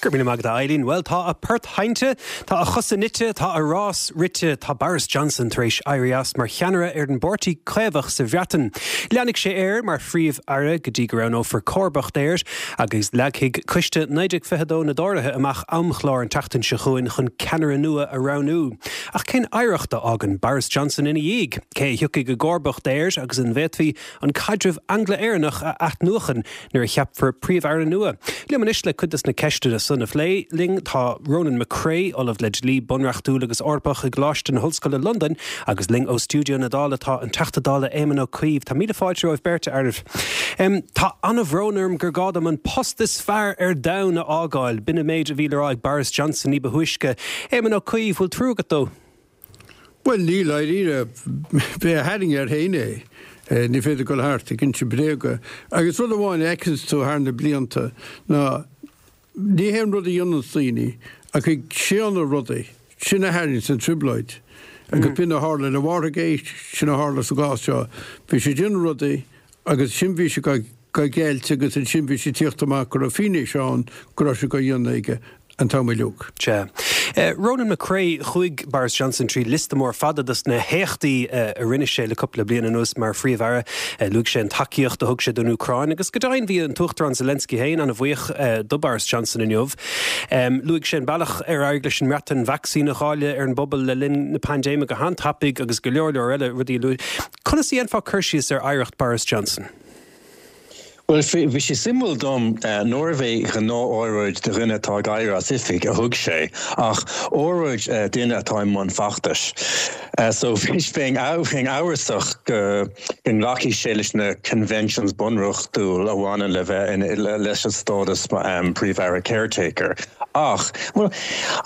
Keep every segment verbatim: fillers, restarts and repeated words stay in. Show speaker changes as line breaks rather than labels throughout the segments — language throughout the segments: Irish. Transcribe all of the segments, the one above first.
Go raibh míle maith agat, a Eileen. Bhuel, tá a port seinnte, tá a chosa nite, tá a rás rite, tá Boris Johnson tar éis éirí as mar cheannaire ar an bPáirtí Caomhach sa Bhreatain. Leanfaidh sé air mar phríomh-aire go dtí go roghnófar comharba air agus leagfaidh coiste naoi déag fiche dó na dTóraithe amach amchlár an tseachtain seo chugainn chun ceannaire nua a roghnú. Ach cén oidhreacht a fhágann Boris Johnson ina dhiaidh? Cé a thiocfaidh i gcomharbacht air agus an bhféadfaí an caidreamh Angla-Éireannach a athnuachan nuair a cheapfar príomh-aire nua? Liom anois le cuid des na ceisteanna san a phlé linn tá Ronan McCrea, Ollamh le Dlí Bunreachtúil agus Eorpach i gColáiste na hOllscoile Londain, agus linn ó stiúideo na Dála tá an Teachta Dála Éamon Ó Cuív. Tá míle fáilte romhaibh beirt, a fhearaibh. Tá an-bhrón orm gur gá dom an post is fearr ar domhan a fhágáil. B'in an méid a bhí le rá ag Boris Johnson ní ba thúisce. Éamon Ó Cuív, bhfuil trua agat dó?
Bhuel, níl, dáiríre. B'é a tharraing air féin é. Ní féidir dul thart ag inse bréaga. Agus rud amháin a fheiceanns tú thar na blianta ná ní hé an rud a dhéananns daoine ach ag séanadh rudaí, sin a tharraingíonns an trioblóid. Agus b'in a tharla le Watergate, sin a tharla sa gcás seo. Bhí sé ag déanamh rudaí agus ansin bhí sé á gceilt agus ansin bhí sé ag tíocht amach go raibh fianaise ann go raibh sé á dhéanamh aige an t-am uilig.
Sea. Ronan McCrea, chuaigh Boris Johnson trí liosta mór fada dos na héachtaí a rinne sé le cúpla bliain anuas mar phríomh-aire. Luaigh sé an tacaíocht a thug sé don Úcráin agus go deimhin bhí an tUachtarán Zelensky féin an-bhuíoch do Boris Johnson inniu. Luaigh sé an bealach ar éirigh leis an mBreatain vacsaín a dháileadh ar an bpobal le linn na paindéime go han-tapaidh agus go leor leor eile rudaí a luaigh. Conas a dhéanfá cur síos ar oidhreacht Boris Johnson?
Bhuel, bhí sé suimiúil dom nárbh é gnáth-óráid do dhuine atá ag éirí as oifig a thug sé, ach óráid duine atá i mbun feachtais. So bheinn amhrasach go nglacfaidh sé leis na conventions bunreachtúil a bhaineann le bheith leis an stádas Príomh-Aire caretaker. Ach, bhuel,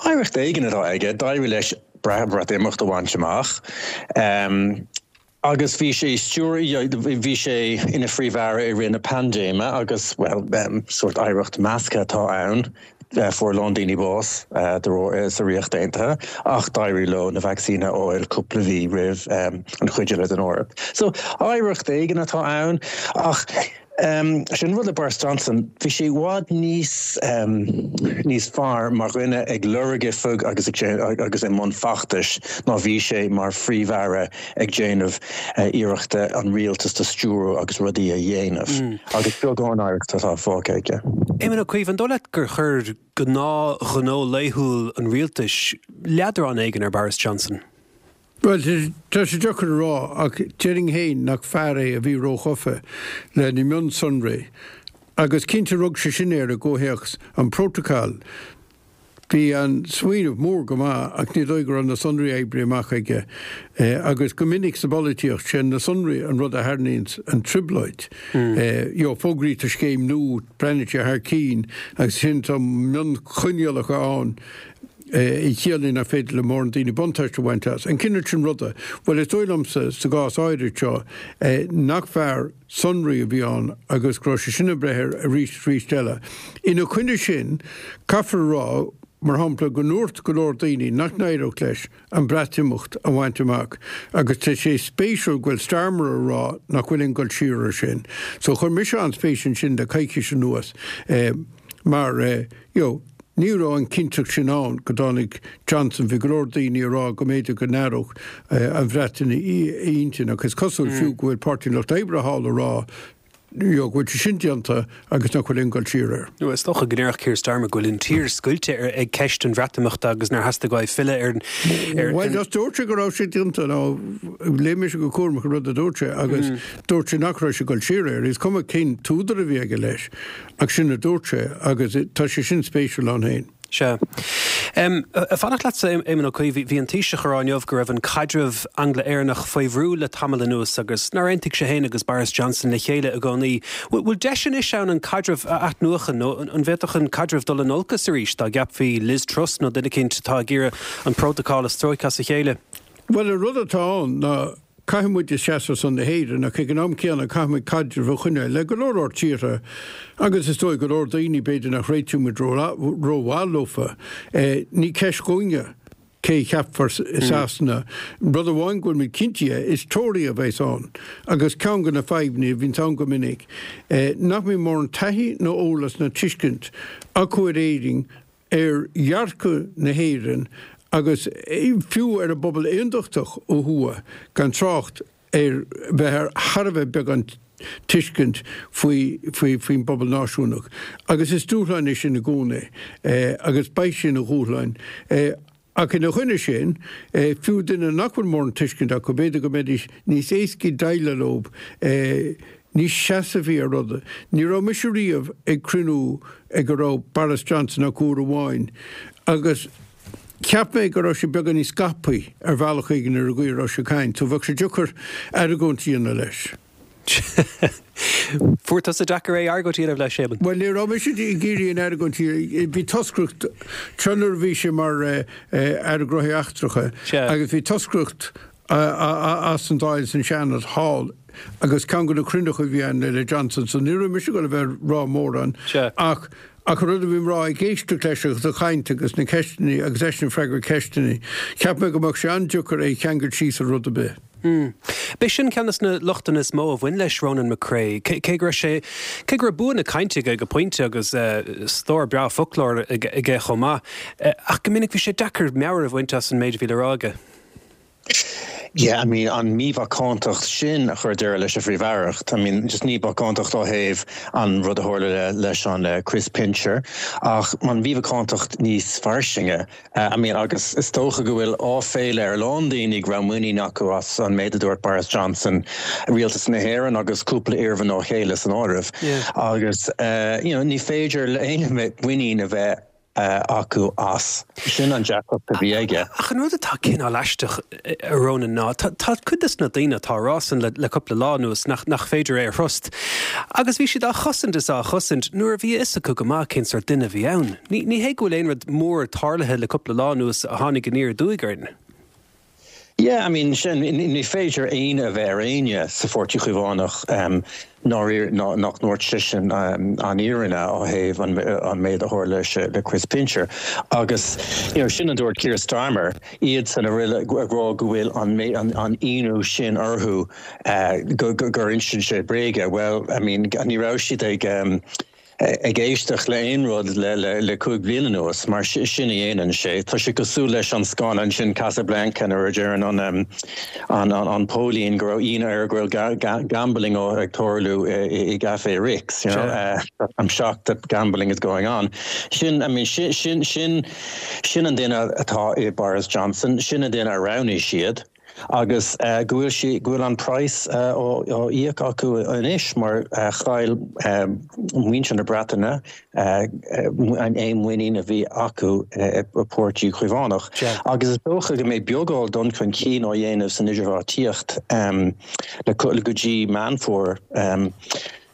oidhreacht éigin atá aige, d'éirigh leis Breatimeacht a bhaint amach. Agus bhí sé stiúir, bhí sé ina phríomh-aire i rith na paindéime agus, bhuel, sórt oidhreacht measctha atá ann, fuair a lán daoine bás sa Ríocht Aontaithe ach d'éirigh leo na vacsaíní a fháil cúpla mhí roimh an chuid eile den Eoraip. So, oidhreacht éigin atá ann ach sin rud le Boris Johnson, bhí sé i bhfad níos níos fearr mar dhuine ag lorg oifig agus agus i mbun feachtais ná bhí sé mar phríomh-aire ag déanamh iarrachta an rialtas a stiúradh agus rudaí a dhéanamh. Agus beagán oidhreacht atá fágtha aige.
Éamon Ó Cuív, an dóigh leat gur chuir gnáthghnó laethúil an rialtais leadrán éigin ar Boris Johnson?
Bhuel, tá sé deacair a rá, ach déarfainn féin nach fear é a bhí róghafa le na mionsonraí. Agus cinnte rug sé sin air i gcomhthéacs an prótacal. Bhí an smaoineamh mór go maith ach ní dóigh go raibh na sonraí oibrithe amach aige. Agus go minic sa bpolaitíocht, sé na sonraí an rud a tharraingíonns an trioblóid. You know, fógraítear scéim nua, breathnaíonn sé thar cinn agus ansin tá mionchoinníollacha ann. a chiallaíonn nach féidir le mórán daoine buntáiste a bhaint as. An cineál sin ruda. Bhuel, is dóigh liomsa, sa gcás áirid seo, nach fear sonraí a bhí ann agus go raibh sé sin ag breith air arís is arís eile. Ina choinne sin, caithfear a rá, mar shampla, go ndúirt go leor daoine nach n-éireodh leis an Breatimeacht a bhaint amach agus tá sé spéisiúil go bhfuil Starmer ag rá nach bhfuil aon dul siar air sin. So chuir mise an-spéis ansin le coicís anuas mar, you know, Ní raibh an chinnteacht sin ann go dtáinig Johnson, bhí go leor daoine ag rá go mb'fhéidir go n-athródh an Bhreatain a intinn ach is cosúil fiú go bhfuil Páirtí an Lucht Oibre thall ag rá you know go bhfuil sé sin déanta agus nach bhfuil aon dul siar air.
Is dócha go ndéarfadh Keir Starmer go bhfuil an tír scoilte ag ceist an Bhreatimeachta agus nár theastaigh uaidh filleadh ar an.
Bhuel, dúirt sé go raibh sé déanta nó léigh mise go cúramach an rud a dúirt sé agus dúirt sé nach raibh sé ag dul siar air. Is cuma cén t-údar a bhí aige leis. Ach sin a dúirt sé, agus tá sé sin spéisiúil ann féin.
Sea. Ag fanacht leatsa, Éamon Ó Cuív, bhí an Taoiseach ag rá inniu go raibh an caidreamh Angla-Éireannach faoi bhrú le tamall anuas agus nár aontaigh sé féin agus Boris Johnson le chéile i gcónaí. Bhfuil deis anois ann an caidreamh a athnuachan nó an bhféadfadh an caidreamh dul in olcas arís dá gceapfaí Liz Truss nó duine eicínt atá ag iarraidh an prótacal a stróiceadh as a chéile?
Bhuel, an rud atá ann ná Caithfidh muid seasamh ar son na hÉireann ach ag an am céanna caithfidh muid caidreamh a choinneáil le go leor leor tíortha agus is dóigh go leor daoine b'fhéidir nach réitíonn muid rómhaith leofa. Ní ceist dhúinne cé a cheapfar i Sasana. Rud amháin go bhfuil muid cinnte dhe, is Tory a bheas ann agus ceann de na fadhbanna a bhíonns ann go minic nach mbíonn mórán taithí nó eolas ná tuiscint acu ar Éirinn ar dhearcadh na hÉireann agus fiú ar an bpobal aontachtach ó thuaidh, gan trácht ar bheith ar thar a bheith beagán tuiscint faoi faoi faoin bpobal náisiúnach. Agus is dúshlán é sin i gcónaí agus beidh sé ina dhúshlán. Ach ina choinne sin, fiú duine nach bhfuil mórán tuiscint acu, b'fhéidir go mbeidís níos éascaí déileáil leo, níos seasmhaí ar rudaí. Ní raibh mise riamh ag cruinniú ag a raibh Boris Johnson ach uair amháin agus cheap mé go raibh sé beagán níos scaipthe ar bhealach éigin ar an gcaoi a raibh sé ag caint, so bheadh sé deacair argóint a dhéanamh leis.
Fuair tusa deacair é argóint a dhéanamh leis, Éamonn?
Bhuel, ní raibh mise ag iarraidh an argóint a bhí toscaireacht tráth nuair a bhí sé mar Aire Gnóthaí Eachtracha agus bhí toscaireacht as an Dáil is an Seanad thall agus ceann de na cruinnithe a bhí ann le Johnson so ní raibh mise ag dul a bheith ag rá mórán ach ach an rud a bhí mé a rá ag éisteacht leis agus a chaint agus na ceisteanna agus eisean ag freagairt ceisteanna cheap mé go mbeadh sé an-deacair é a cheangal síos ar rud ar bith.
B'é sin ceann de na lochtanna is mó a bhain leis Ronan McCrea, cé go raibh sé, cé go raibh bua na cainte aige go pointe agus stór breá foclóir aige chomh maith, ach go minic bhí sé deacair meabhair a bhaint as an méid a bhí le rá aige.
Yeah, I mean, an mímhacántacht sin a chuir deireadh leis a phríomh-aireacht. I mean, just ní macántacht ó thaobh an rud a tharla leis an Chris Pincher, ach an mhímhacántacht níos fairsinge. I mean, agus is dócha go bhfuil áiféala ar a lán daoine go raibh muinín acu as an méid a dúirt Boris Johnson, rialtas na hÉireann agus cúpla iarmhná chéile san áireamh. Agus, you know, ní féidir le éinne muinín a bheith acu as. Sin an deacracht a bhí aige.
Ach an rud atá cineál aisteach, a Ronan, ná tá cuid de na daoine atá á rá san le cúpla lá anuas nach nach féidir é a thrust. Agus bhí siad á chosaint is á chosaint nuair a bhí a fhios acu go maith cén sórt duine a bhí ann. Ní ní hé go bhfuil aon rud mór tarlaithe le cúpla lá anuas a tháinig aniar aduaidh orainn.
Yeah, I mean, sin, ní féidir ionadh a bheith ar éinne sa Pháirtí Caomhánach nach ndúirt seisean an fhírinne ó thaobh an méid a tharla le Chris Pincher. Agus, you know, sin a dúirt Keir Starmer, iadsan a bhfuil ag rá go bhfuil an ionadh sin orthu gur insíonn sé bréaga. Well, I mean, ní raibh siad ag ag éisteacht le aon rud le le cúig bliana anuas, mar sin a dhéanann sé. Tá sé cosúil leis an scannán sin Casablanca nuair a deireann an an an póilín go raibh ionadh air go bhfuil gambling ag tarlú i gCafé Ritz, you know, I'm shocked that gambling is going on. Sin, I mean, sin sin sin sin an duine atá i Boris Johnson, sin an duine a roghnaigh siad. agus go bhfuil sí, go bhfuil an praghas á íoc acu anois mar chaill muintir na Breataine aon mhuinín a bhí acu i bPáirtí Caomhánach. Agus is dócha go mbeidh beagán dul chun cinn á dhéanamh san idirbheartaíocht le go dtí Meán Fómhair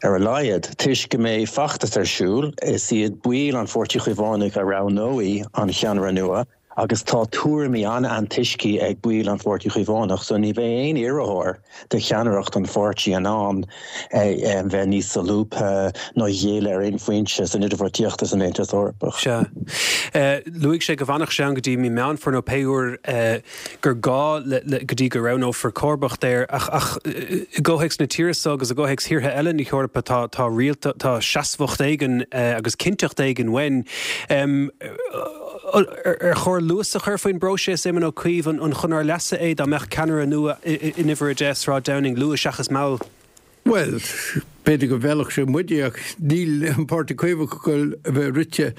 ar a laghad, toisc go mbeidh feachtas ar siúl, is iad baill an Pháirtí Chaomhánaigh a roghnóidh an cheannaire nua. Agus tá tuairimí an-antoiscthe ag baill an Pháirtí Chaomhánach, so ní bheidh aon iarrthóir do cheannaireacht an pháirtí in ann bheith níos solúbtha ná géilleadh ar aon phointe san idirbheartaíocht san Aontas Eorpach.
Sea. Luaigh sé go bhfanfadh sé ann go dtí mí Meán Fómhair nó pé uair gur gá go dtí go roghnófar comharbacht air ach ach i gcomhthéacs na tíre seo agus i gcomhthéacs thíortha eile na hEorpa tá tá rialta tá seasmhacht éigin agus cinnteacht éigin uainn. Ar chóir luas a chur faoin bpróiseas, Éamon Ó Cuív, an chun ár leasa é dá mbeadh ceannaire nua in uimhir a deich Sráid Downing luath seachas mall?
Bhuel, b'fhéidir go bhfeilfeadh sé muide ach níl an Páirtí Caomhach ag dul a bheith rite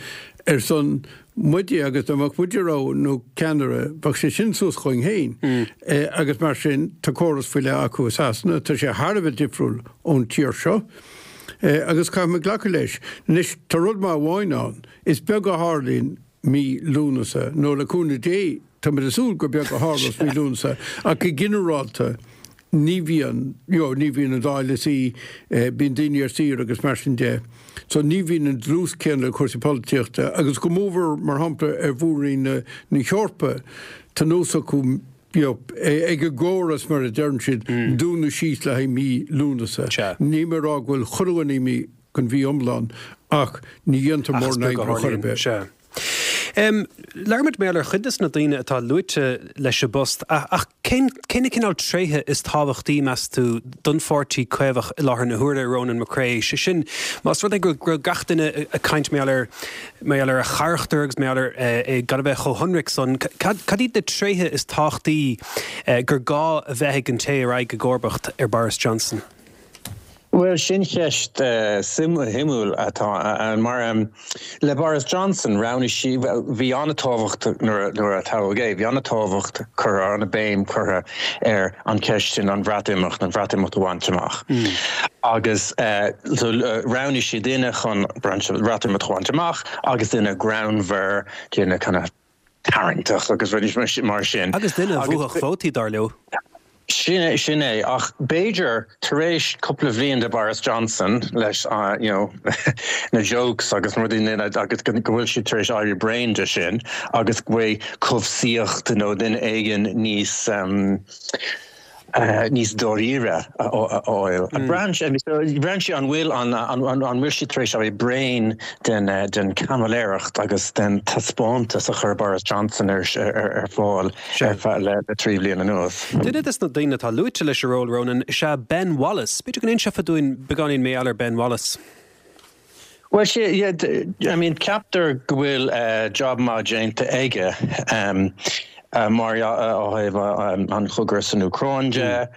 ar son muide agus dá mbeadh muide ag roghnú ceannaire bheadh sé sin suas chugainn féin. Agus mar sin tá córas faoi leith acu i Sasana, tá sé thar a bheith difriúil ón tír seo agus caithfidh muid glacadh leis. Anois tá rud maith amháin ann, is beag a tharlaíonn mí Lúnasa, nó le cúnamh Dé, táimid ag súil gur beag a tharlós mí Lúnasa, ach go ginearálta ní bhíonn, you know, ní bhíonn an Dáil ina suí, bíonn daoine ar saoire agus mar sin de. So ní bhíonn an dlús céanna le cúrsaí polaitíochta agus go mórmhór, mar shampla, ar mhór-roinn na na hEorpa, tá nós acu, you know, ag an gcóras mar a deireann siad, dúnadh síos le haghaidh mí Lúnasa. Níl mé ag rá go bhfuil chuile dhuine imithe don mhí iomlán ach ní dhéantar
Ach is
mórán
beag a
oibre chor ar
tharlaíonn,
bith.
sea. Labhair muid mar gheall ar chuid de na daoine atá luaite leis an bpost, ach cén cén cineál tréithe is tábhachtaí meas tú don pháirtí Caomhach i láthair na huaire Ronan McCrea sé sin más rud é go raibh gach duine ag caint mar gheall ar mar gheall ar a charachtar agus mar gheall ar é gan a bheith chomh hionraic san cad iad na tréithe is tábhachtaí gur gá a bheith ag an té a raghaidh i gcomharbacht ar Boris Johnson.
Well sin ceist uh, suimiúil atá an mar um, le Boris Johnson roghnaigh sí bhí an-tábhacht nuair a toghadh é, bhí an-tábhacht chur an-bhéim curtha ar an cheist sin an Bhreatimeacht an Bhreatimeacht a bhaint amach. Mm. Agus uh, so, uh, roghnaigh sí duine chun Breatimeacht a bhaint amach agus duine greannmhar duine kind of tarraingteach agus rudaí mar sin.
Agus duine a bhuafadh vótaí dar leo.
Sin sin é ach b'fhéidir tar éis cúpla bliain de Boris Johnson leis uh, you know, na jokes agus rudaí agus go bhfuil sé tar éis éirí bréan de sin agus go bhfuil cobhsaíocht nó duine éigin níos um, uh, níos dáiríre a fháil. Mm. Braitheann sé an bhfuil an an bhfuil sé tar éis éirí bréan den uh, den caimiléireacht agus den taispeántas a chuir Boris Johnson ar ar, ar fáil ar le le trí bliana anuas.
Duine des na daoine atá luaite leis an ról Ronan is ea Ben Wallace. B'fhéidir go n-inseofá dúinn beagáinín mar gheall ar Ben Wallace.
Well sé yeah, I mean ceaptar go bhfuil uh, job maith déanta aige um, uh, mar ó thaobh um, an chogadh san Úcráin de.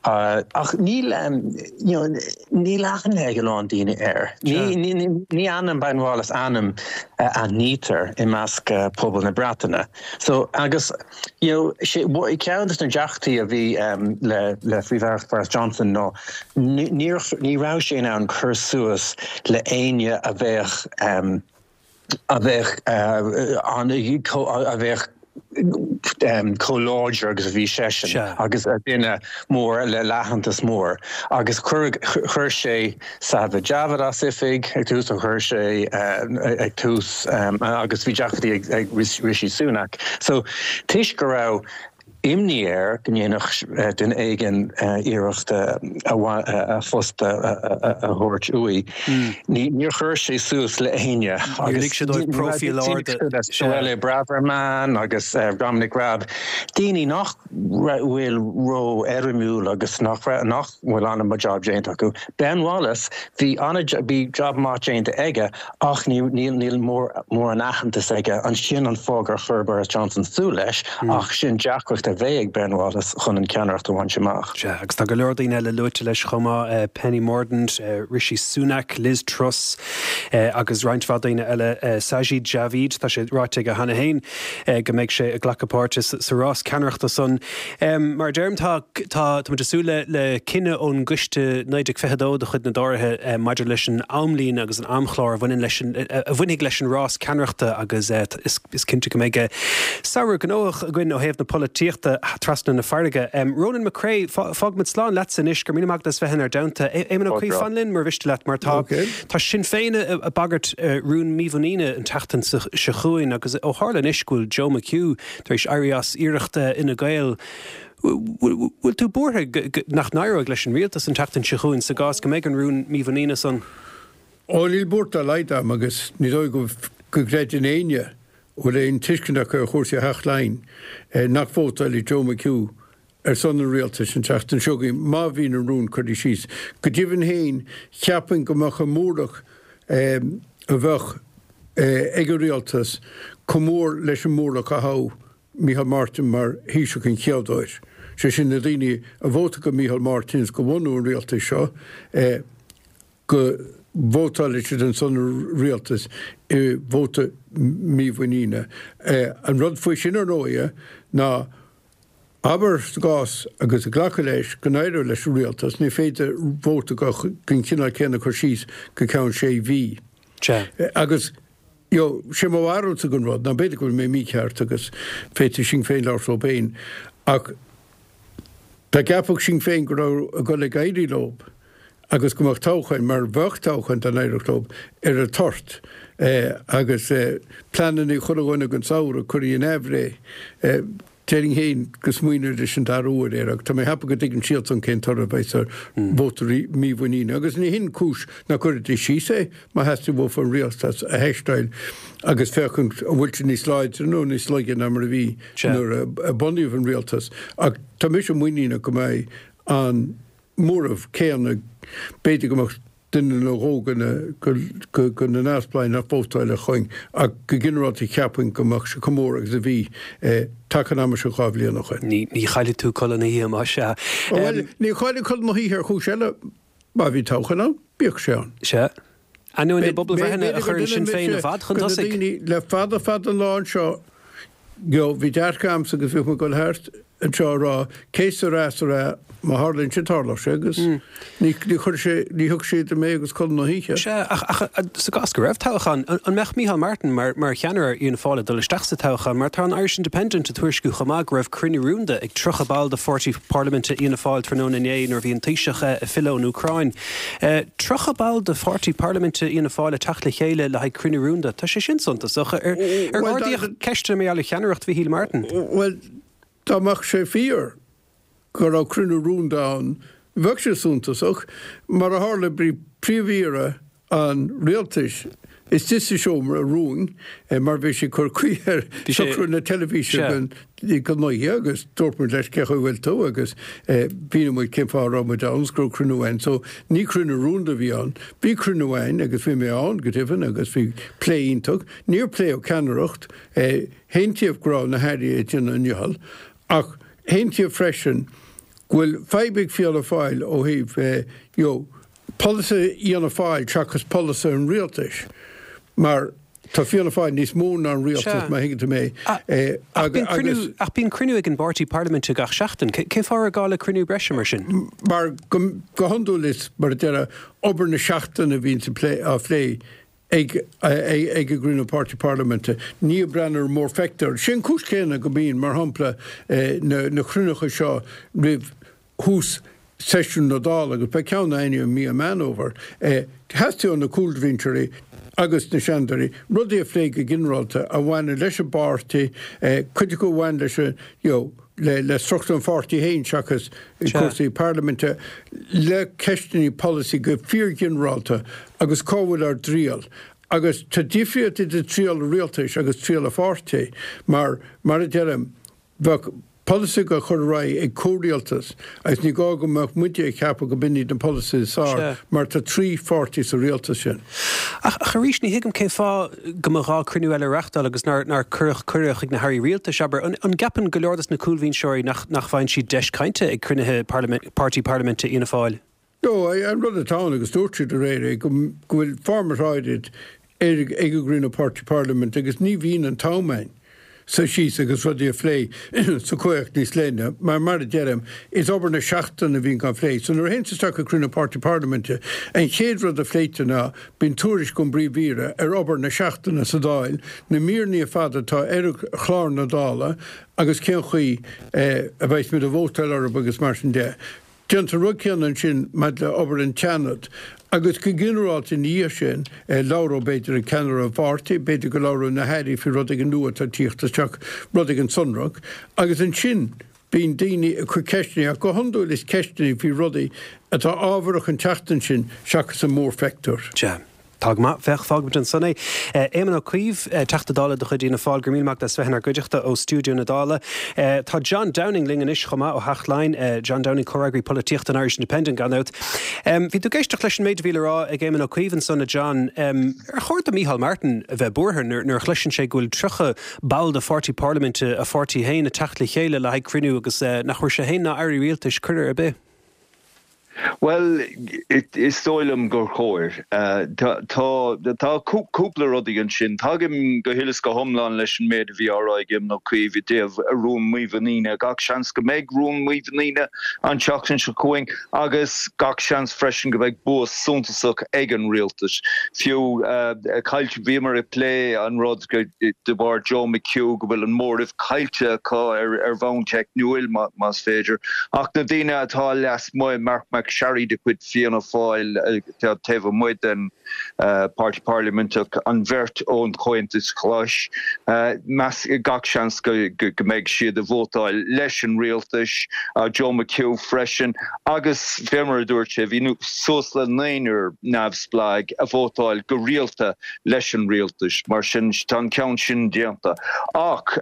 Uh, ach níl um, you know, níl aithne ag a lán daoine air. Ní, ní, ní, ní ainm Ben Wallace ainm uh, aithnítear i measc uh, pobal na Breataine. So agus you know, sé ceann de na deacrachtaí a bhí um, le le Phríomh-Aireacht Boris Johnson ná ní ní raibh sé in ann cur suas le éinne a bheadh um, a bheadh uh, an a bheadh um, chomh láidir agus a bhí seisean agus a duine mór le aitheantas mór agus chuir sé Sajid Javid as oifig ag tús a chuir sé uh, ag tús um, agus bhí deacrachtaí ag, ag Rishi Sunak. So toisc go raibh imní air go ndéanfadh duine éigin iarracht a phost a thabhairt uaidh. Níor chuir sé suas le héinne
agus profil
Suella Braverman agus Dominic Raab. Daoine nach bhfuil ró-éirimiúil agus nach nach bhfuil an-mhaith job déanta acu. Ben Wallace bhí bhí job maith déanta aige ach níl níl mór an aitheantas aige an sin an fáth ar chuir Boris Johnson súil leis ach sin deacracht a bheidh ag Ben Wallace chun an ceannaireacht a bhaint amach.
Sea, agus tá go leor daoine eile luaite leis chomh maith uh, Penny Mordaunt, uh, Rishi Sunak, Liz Truss uh, agus roinnt mhaith daoine eile uh, Sajid Javid tá sé ráite aige cheana féin uh, go mbeidh sé ag glacadh páirte sa rás ceannaireachta san. Um, mar deirim tá tá súil le le cinneadh ón gcoiste naoi déag fiche dó de chuid na dTóraithe uh, maidir leis an amlíne agus an amchlár a bhaineann leis an a bhainfidh leis an rás ceannaireachta agus uh, is, is cinnte go mbeidh samhradh gnóthach againn ó thaobh na polaitíochta trasna na farraige. Um, Ronan McCrea fágfaimid slán leat anois go míle maith as bheith inár dteannta. Éamon Ó Cuív fan linn mar mhiste leat mar tá Tá Sinn Féin ag bagairt rún mímhuiníne an tseachtain seo chugainn agus ó tharla anois go bhfuil Joe McHugh tar éis éirí as iarracht Fhine Gael. Bhfuil tú buartha nach n-éireoidh leis an rialtas an tseachtain seo chugainn sa gcás go mbeidh an rún mímhuiníne san?
Ó níl buairt dá laghad agam agus ní dóigh go gcreideann éinne bhfuil aon tuiscint acu ar chúrsaí Theach Laighean nach vótálfaidh Joe McHugh ar son an rialtais an tseachtain seo chugainn má bhíonn an rún curtha síos. Go deimhin féin cheapfainn go mbeadh an mórach a bheadh ag an rialtas chomh mór leis an mórach a thogh Micheál Martin mar Thaoiseach an chéad uair. Sé sin na daoine a vótáil do Micheál Martin go bhunú an rialtais seo go vótálfaidh siad ar son an rialtais i vóta mímhuiníne. An rud faoi sin ar ndóigh ná abair sa gcás agus ag glacadh leis go n-éireoidh leis an rialtas, ní féidir vóta den chineál céanna a chur síos go ceann sé mhí. Agus you sé mo bharúilsa den rud, ná b'fhéidir go bhfuil mé mícheart agus féadfaidh Sinn Féin labhairt leo féin, ach dá gceapfadh Sinn Féin go raibh ag dul ag éirí leo agus go mbeadh toghchán, mar bheadh toghchán dá n-éireodh leo, ar an toirt agus pleananna chuile dhuine don samhradh curtha in aimhréidh. Déarfainn féin go smaoineoidís an dara huair air ach tá mé ag ceapadh go dtuigeann siadsan cén toradh a bheas ar vóta mímhuiníne agus ní hin cúis nach gcuirfidís síos é má theastaigh uafa an rialtas a theisteáil agus féachaint an bhfuil sé níos láidre nó níos laige ná mar a bhí nuair a bunaíodh an rialtas ach tá mise muiníneach go mbeidh an móramh céanna, b'fhéidir go mbeadh duine nó dhó de na neamhspleáigh nach vótálfadh chugainn ach go ginearálta cheapfainn go mbeadh sé chomh mór agus a bhí taca an ama seo dhá bhliain ó shin.
Ní chaillfidh tú codladh na hoíche más ea.
Bhuel, ní chaillfinn codladh na hoíche ar chúis eile, má bhí toghchán ann, bíodh sé ann.
Sea. Ainneoin na bpobalbhreitheanna a chuireann Sinn Féin i bhfad chun tosaigh.
Le fada fada an lá anseo, bhí dearcadh a'msa agus bhíodh mé ag dul thart anseo ag rá que sera sera, má tharlaíonn sé tarlóidh sé agus ní chuir sé, ní thug sé idir mé agus codladh na hoíche.
Sea, ach ach sa gcás go raibh toghchán, an mbeadh Micheál Martin mar mar cheannaire ar Fhianna Fáil ag dul isteach sa toghchán mar tá an Irish Independent ag tuairisciú chomh maith go raibh cruinniú rúnda ag tríocha ball de pháirtí parlaiminte Fhianna Fáil tráthnóna inné nuair a bhí an Taoiseach ag filleadh ón Úcráin. Tríocha ball de pháirtí parlaiminte Fhianna Fáil ag teacht le chéile le haghaidh cruinniú rúnda, tá sé sin suntasach. Ar ardaíodh ceisteanna mar gheall ar cheannaireacht Mhichíl Martin?
Bhuel, dá mbeadh sé fíor go raibh cruinniú rúnda ann, bheadh sé suntasach. Mar a tharla, bhí Príomh-Aoire an Rialtais istigh sa seomra rúin mar bhí sé ag cur caoi ar socrú na teilifíse don oíche agus dúirt muid leis cén chaoi a bhfuil tú agus mhínigh muid cén fáth a raibh muid ann agus go raibh cruinniú ann. So ní cruinniú rúnda a bhí ann. Bhí cruinniú ann agus bhí mé ann go deimhin agus bhí plé iontach. Níor pléadh ceannaireacht. Aontaíodh go raibh na hairí ag déanamh a ndicheall ach aontaíodh freisin go bhfuil fadhb ag Fianna Fáil ó thaobh you know polasaithe Fhianna Fáil seachas polasaithe an rialtais mar tá Fianna Fáil níos mó ná an rialtas má thuigeann tú mé
agus. Ach bíonn cruinniú ag an bpáirtí parlaiminte gach seachtain. Cén fáth a raibh gá le cruinniú breise mar sin?
Mar go hiondúil is mar a déarfá obair na seachtaine a bhíonn á phlé ag an gcruinniú páirtí parlaiminte. Ní ag breathnú ar an mórphictiúr. Sé an cúis chéanna go mbíonn, mar shampla, na cruinnithe seo roimh thús seisiún na Dála, agus beidh ceann againn i mí Meán Fhómhair, theastaigh ó na cúlbhinseoirí agus na seanadóirí rudaí a phlé go ginearálta a bhaineann leis an bpáirtí, cuid acu a bhain leis an, you know, le le struchtúr an pháirtí féin seachas cúrsaí parlaiminte, le ceisteanna polasaí go fíorghinearálta agus cá bhfuil ár dtriall. Agus tá difríocht idir triall an rialtais agus triall an pháirtí mar, mar a deirim, bheadh polasaithe á chur ar aghaidh ag comhrialtas agus ní gá go mbeadh muide ag ceapadh go b'in iad na polasaithe is fearr mar tá trí pháirtí sa rialtas sin.
Ach arís, ní thuigim cén fáth go mba ghá cruinniú eile a reáchtáil agus nár nár cuireadh cuireadh chuig na hairí rialtais, abair. An gceapann go leor dos na cúlbhinseoirí nach nach bhfaigheann siad deis cainte ag cruinnithe páirtí parlaiminte Fhianna Fáil?
No, an rud atá ann, agus dúirt siad aréir é, go bhfuil format áirid ag an gcruinniú páirtí parlaiminte agus ní bhíonn an t-am ann suí síos agus rudaí a phlé sa chomhthéacs níos leithne, mar, mar a deirim, is obair na seachtaine a bhíonn á phlé. So nuair a théann tú isteach ag cruinniú páirtí parlaiminte, an chéad rud a phléitear ná, bíonn tuairisc ón bPríomh-Aoire ar obair na seachtaine sa Dáil, na míreanna ar fad atá ar chlár na Dála agus cén chaoi a bheas muid ag vótáil orthu agus mar sin de. Déantar an rud céanna ansin maidir le obair an tSeanaid agus go ginearálta ina dhiaidh sin, labhróidh b'fhéidir an ceannaire an pháirtí, b'fhéidir go labhróidh na hairí faoi rud éigin nua atá ag tíocht isteach, rud éigin sonrach, agus ansin bíonn daoine ag cur ceisteanna, ach go hiondúil is ceisteanna faoi rudaí atá ábharach an tseachtain sin seachas an mórphictiúr.
Sea. Tá go maith. Féach, fágfaimid ansan é. Éamon Ó Cuív, Teachta Dála de chuid Fhianna Fáil, go raibh míle maith agat as bheith inár gcuideachta ó stiúideo na Dála. Tá John Downing linn anois chomh maith ó Theach Laighean. John Downing, comhfhreagraí polaitíochta an Irish Independent, gan dabht. Bhí tú ag éisteacht leis an méid a bhí le rá ag Éamon Ó Cuív ansan, a John. Ar chóir do Micheál Martin a bheith buartha nuair a chloiseann sé go bhfuil tríocha ball de pháirtí parlaiminte a pháirtí féin ag teacht le chéile le haghaidh cruinniú agus nach bhfuair sé féin ná airí rialtais cuireadh ar bith?
Bhuel, is dóigh liom gur chóir. Tá cúpla rudaí ansin. Tagaim go huile is go hiomlán leis an méid a bhí á rá ag Éamon Ó Cuív i dtaobh rún mímhuiníne. Gach seans go mbeidh rún mímhuiníne an tseachtain seo chugainn agus gach seans freisin go mbeidh bua suntasach ag an rialtas. Fiú caillte, bhíomar ag plé an rud de bharr Joe McHugh go bhfuil an móramh caillte acu ar bhonn teicniúil, más féidir. Ach na daoine atá lasmuigh, Mark McSharry de chuid Fianna Fáil taobh amuigh den Páirtí Parlaiminteach, an bheirt ón Chomhaontas Glas, meas gach seans go mbeidh siad ag vótáil leis an rialtas, Joe McHugh freisin, agus fé mar a dúirt sé, bhí suas le naonúr neamhspleách a vótáil go rialta leis an rialtas, mar sin tá an ceann sin déanta. Ach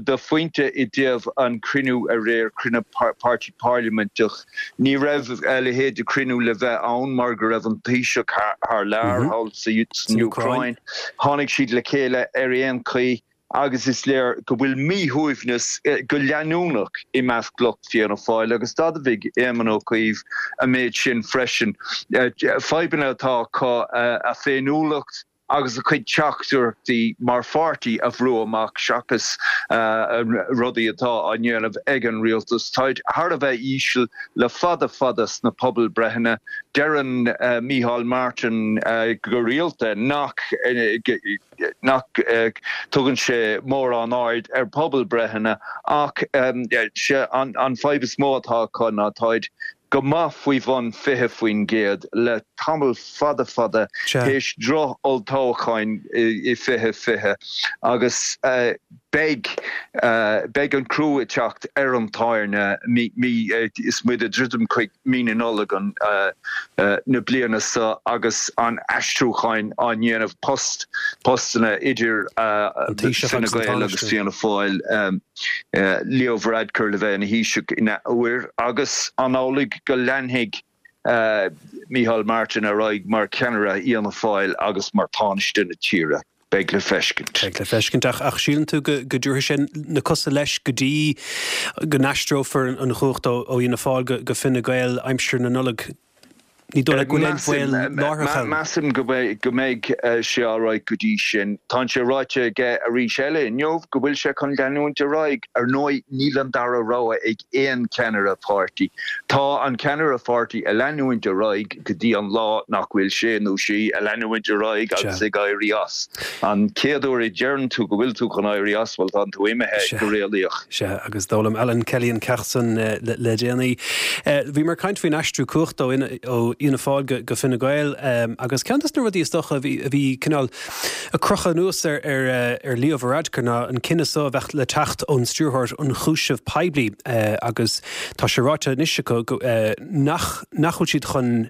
do phointe i dtaobh an cruinniú aréir, cruinniú Páirtí Parlaiminteach, ní raibh a leithéid de chruinniú le bheith ann mar go raibh an Taoiseach thar lear, thall san Úcráin. Tháinig siad le chéile ar aon chaoi agus is léir go bhfuil míshuaimhneas go leanúnach i measc lucht Fianna Fáil agus d'admhaigh Éamon Ó Cuív an méid sin freisin. Fadhbanna atá acu a féiniúlacht agus a cuid teachtaireachtaí mar pháirtí a bhrú amach seachas rudaí atá á ndéanamh ag an rialtas. Táid thar a bheith íseal le fada fada sna pobalbreitheanna. Deireann Micheál Martin go rialta nach nach dtugann sé mórán aird ar pobalbreitheanna ach an fadhb is mó atá acu ná táid go maith faoi bhun fiche faoin gcéad le tamall fada fada théis droch-olltoghcháin i fiche fiche agus beidh beidh an crú ag teacht ar an tairne mí mí is muid ag druidim chuig mí na Nollag an na bliana seo agus an aistriúcháin á ndéanamh post postanna idir Fine Gael agus Fianna Fáil. Leo Varadkar le bheith ina Thaoiseach in athuair agus an amhlaidh go leanfaidh Micheál Martin ar aghaidh mar cheannaire Fhianna Fáil agus mar Thánaiste na tíre? Beidh le feiscint.
Beidh le feiscint. Ach síleann tú go dtabharfaidh sé na cosa leis go dtí go n-aistreofar an chumhacht ó Fhianna Fáil go Fine Gael aimsir na Nollag? Ní dóigh leat go bhfuil aon bhaol láithreach ann?
Measaim go mbeidh sé alright go dtí sin. Tá sé ráite aige arís eile inniu go bhfuil sé chun leanúint ar aghaidh. Ar ndóigh, níl an dara rogha ag aon cheannaire páirtí. Tá an ceannaire pháirtí ag leanúint ar aghaidh go dtí an lá nach bhfuil sé nó sí ag leanúint ar aghaidh agus ag éirí as. An chéad uair a deireann tú go bhfuil tú chun éirí as, bhuel, tánn tú imithe go réalaíoch.
Sea, agus d'fhoghlaim Alan Kelly an ceacht san le déanaí. Bhíomar ag caint faoin aistriú cumhachta ó Fhianna Fáil go Fine Gael agus ceann des na rudaí is dócha a bhí cineál ag crochadh anuas ar Leo Varadkar ná an cinneadh so a bheadh le teacht ón Stiúrthóir Ionchúiseamh Poiblí agus tá sé ráite anois acu nach nach bhfuil siad chun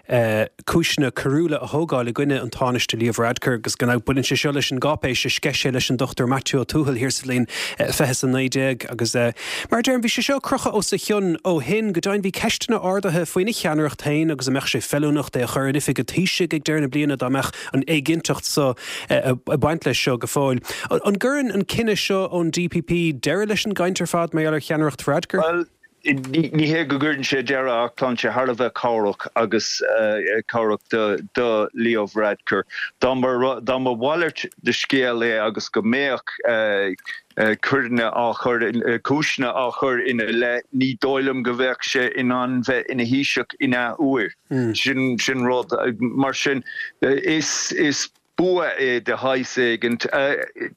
cúiseanna coiriúla a thógáil i gcoinne an Tánaiste Leo Varadkar agus go mbaineann sé seo leis an gcáipéis a sceith sé leis an Dochtúir Maitiú Ó Tuathail thiar sa bhliain fiche is a naoi déag agus mar a deirim bhí sé seo ag crochadh os a chionn ó shin. Go deimhin bhí ceisteanna ardaithe faoina cheannaireacht féin agus an mbeadh sé feiliúnach é a chur in oifig an Taoisigh ag deireadh na bliana dá mbeadh an éiginnteacht so ag baint leis seo go fóill. An gcuireann an cinneadh seo ón D P P deireadh leis an gcaint ar fad mar gheall ar cheannaireacht Varadkar?
Bhuel, ní hé go gcuireann sé deireadh ach tá sé thar a bheith cabhrach agus cabhrach do Leo Varadkar. Dá mba dá mba mhalairt de scéal é agus go mbeadh coireanna á chur cúiseanna á chur ina leith, ní dóigh liom go bheadh sé in ann bheith ina Thaoiseach in athuair. Sin sin rud mar sin is is bua é de shaghas éigint.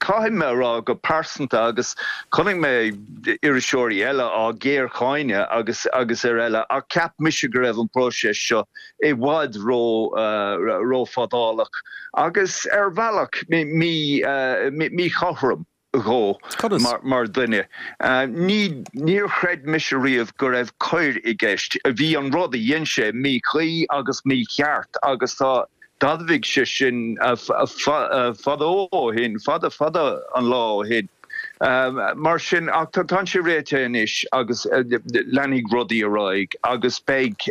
Caithfidh mé a rá go pearsanta agus chonaic mé iriseoirí eile á géarcháineadh agus agus ar eile ach cheap mise go raibh an próiseas seo i bhfad ró rófhadálach agus ar bhealach míchothrom dhó mar dhuine. Ní níor chreid mise riamh go raibh coir i gceist. Bhí an rud a dhein sé míchuí agus mícheart agus tá d'admhaigh sé sin fadó ó shin, fada fada an lá ó shin. Mar sin ach tá sé réitithe anois agus leanfaidh rudaí ar aghaidh agus beidh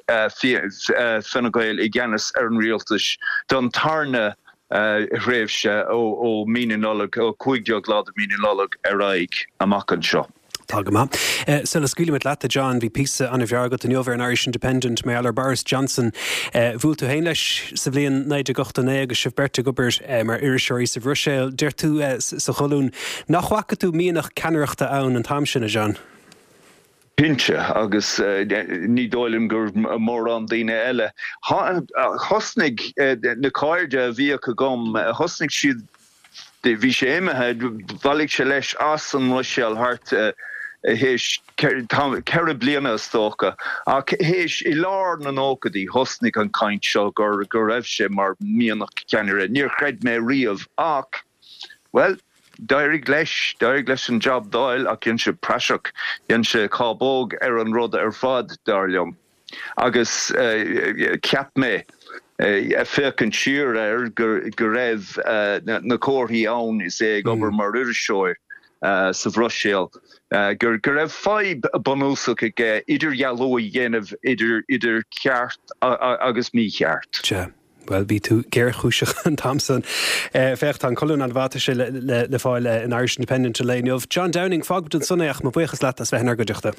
Fine Gael i gceannas ar an rialtas don tarna thréimhse ó mí na Nollag, ó cúig déag lá de mí na Nollag ar aghaidh amach anseo.
Tá go maith. Sula scaoilimid leat, a John, bhí píosa an-bhreá agat inniu ar an Irish Independent mar gheall ar Boris Johnson. Bhuail tú féin leis sa bhliain naoi déag ochtó naoi agus sibh beirt ag obair mar iriseoirí sa Bhruiséil. Deir tú sa cholún nach bhfaca tú mianach ceannaireachta ann an t-am sin, a John?
Cinnte, agus ní dóigh liom gur mórán daoine eile. Thosnaigh na cairde a bhíodh agam, thosnaigh siad, bhí sé imithe, bhailigh sé leis as an mBruiséil thart théis ceithre bliana is dócha, ach théis i lár na nóchaidí thosnaigh an chaint seo gur go raibh sé mar mhianach ceannaire. Níor chreid mé riamh ach, well, d'éirigh leis, d'éirigh leis an jab d'fháil ach dhein sé praiseach, dhein sé cábóg ar an rud ar fad, dar liom. Agus cheap mé, ag féachaint siar air, go raibh na comharthaí ann is é ag obair mar iriseoir sa Bhruiséil, go raibh fadhb bunúsach aige idirdhealú a dhéanamh idir ceart agus mícheart.
Sea. Bhuel, bhí tú géarchúiseach an t-am san. Féach, tá an colún an-mhaith, tá sé le fáil in Irish Independent an lae inniu. John Downing, fágfaimid ansan é ach mo bhuíochas leat as bheith inár gcuideachta.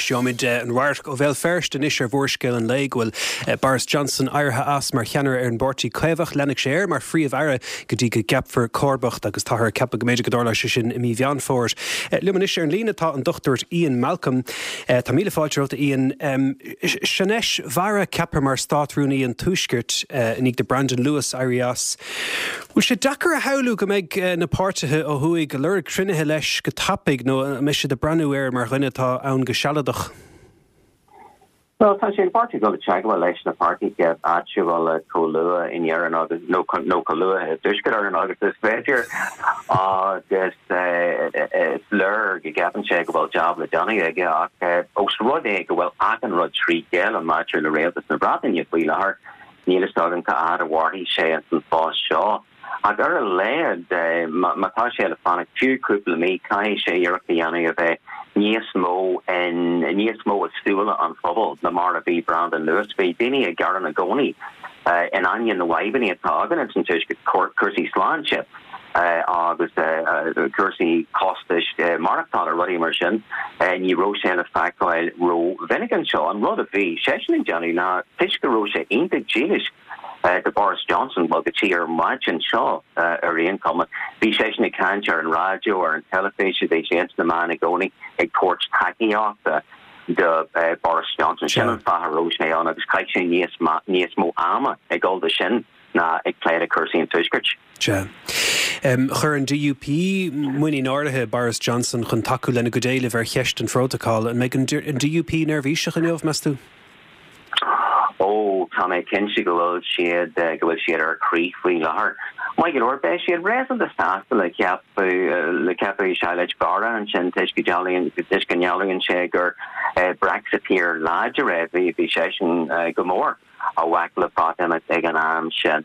Gheobhaimid an radharc ó Bhéal Feirste anois ar mhórscéal an lae go bhfuil Boris Johnson éirithe as mar cheannaire ar an bPáirtí Caomhach. Leanfaidh sé air mar Phríomh-Aire go dtí go gceapfar comharbacht agus táthar ag ceapadh go mb'fhéidir go dtarlóidh sé sin i mí Mheán Fómhair. Liom anois ar an líne tá an Dochtúir Ian Malcolm. Tá míle fáilte romhat a Ian. Sinéis Bharra ceaptha mar Stát-Rúnaí an Tuaiscirt i ndiaidh do Brandon Lewis éirí as. Bhfuil sé deacair a shamhlú go mbeidh na páirtithe ó thuaidh ag lorg cruinnithe leis go tapaidh nó an mbeidh siad ag breathnú air mar dhuine atá ann go sealadach?
Bhuel, tá sé an pháirtí ag dul i dteagmháil leis na páirtithe áitiúla chomh luath in Éirinn agus nó nó chomh luath i dTuaisceart Éireann agus is féidir agus is léir go gceapann sé go bhfuil jab le déanamh aige ach ós rud é go bhfuil achan rud trí chéile maidir le Rialtas na Breataine faoi láthair, níl a fhios agam cá fhad a mhairfidh sé ins an phost seo. Ach ar a laghad, má tá sé le fanacht fiú cúpla mí, caithfidh sé iarracht a dhéanamh a bheith níos mó in níos mó i súile an phobail ná mar a bhí Brandon Lewis. Bhí daoine ag gearán i gcónaí in ainneoin na bhfadhbanna atá againn ins an Tuaisceart, cúrsaí sláinte agus cúrsaí costais maireachtála, rudaí mar sin, ní raibh sé le feiceáil ró-mhinic anseo. An rud a bhí seisean ag déanamh ná, toisc go raibh sé iontach dílis, do Boris Johnson, bhuel, go dtí ar maidin seo ar aon chuma. Bhí seisean ag caint ar an raidió, ar an teilifís, bhí sé ins na meáin i gcónaí ag tabhairt tacaíochta do Boris Johnson. Sin an fáth a raibh sé ann agus chaith sé níos níos mó ama ag dul do sin ná ag plé le cúrsaí an Tuaiscirt.
Sea. Chuir an D U P muinín áirithe i Boris Johnson chun tacú lena gcuid éileamh ar cheist an phrótacail. An mbeidh an D U P neirbhíseach inniu, meas tú?
Ó, tá mé cinnte go bhfuil siad, go bhfuil siad ar crith faoi láthair. Maith go leor, beidh siad réasúnta sásta le ceapadh, le ceapadh Shailesh Vara ansin toisc go dealaíonn, toisc go ndealraíonn sé gur Brexiteer láidir é. Bhí, bhí seisean go mór i bhfách le Breatimeacht ag an am sin.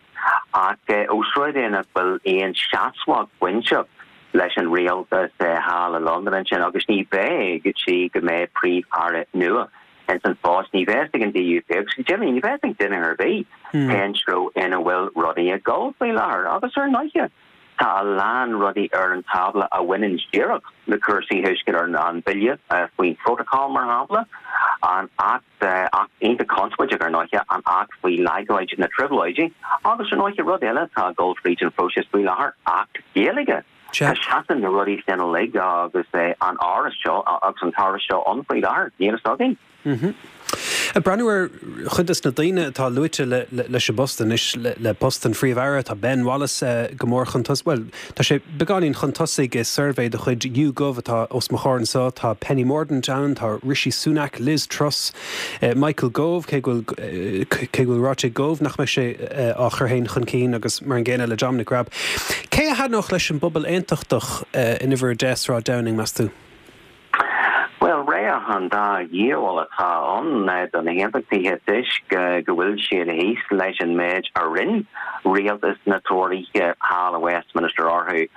Ach ós rud é nach bhfuil aon seasmhacht bainte leis an rialtas thall i Londain ansin agus ní bheidh go dtí go mbeidh Príomh-Aire nua ins an phost, ní bheidh ag an D U P agus go deimhin ní bheidh ag duine ar bith cén treo ina bhfuil rudaí ag dul faoi láthair. Agus ar ndóighe, tá a lán rudaí ar an tábla a bhaineann díreach le cúrsaí Thuaisceart Éireann, an Bille faoin Phrótacal, mar shampla, an Acht, Acht iontach conspóideach ar ndóighe, an Acht faoi Laghdú na Trioblóidí agus ar ndóighe rud eile atá ag dul fríd an phróiseas faoi láthair, Acht Gaeilge. Tá seasann na rudaí sin uilig agus an áras seo agus an t-áras seo ann faoi láthair, níl a fhios againn.
Ag breathnú ar chuid des na daoine atá luaite leis an bpost anois, le post an Phríomh-Aire, tá Ben Wallace go mór chun tosaigh, bhuel, tá sé beagáinín chun tosaigh i suirbhé de chuid YouGov atá os mo chomhair anseo, tá Penny Mordaunt ann, tá Rishi Sunak, Liz Truss, Michael Gove, cé go bhfuil cé go bhfuil ráite ag Gove nach mbeidh sé á chur féin chun cinn agus mar an gcéanna le Dominic Raab. Cé a thaitneodh leis an bpobal aontachtach in uimhir a deich, Sráid Downing, meas tú?
Bhuel, rogha an dá dhiabhal atá ann do na hAontachtaithe toisc go bhfuil siad thíos leis an méid a rinne rialtas na Tóraithe thall i Westminster orthu.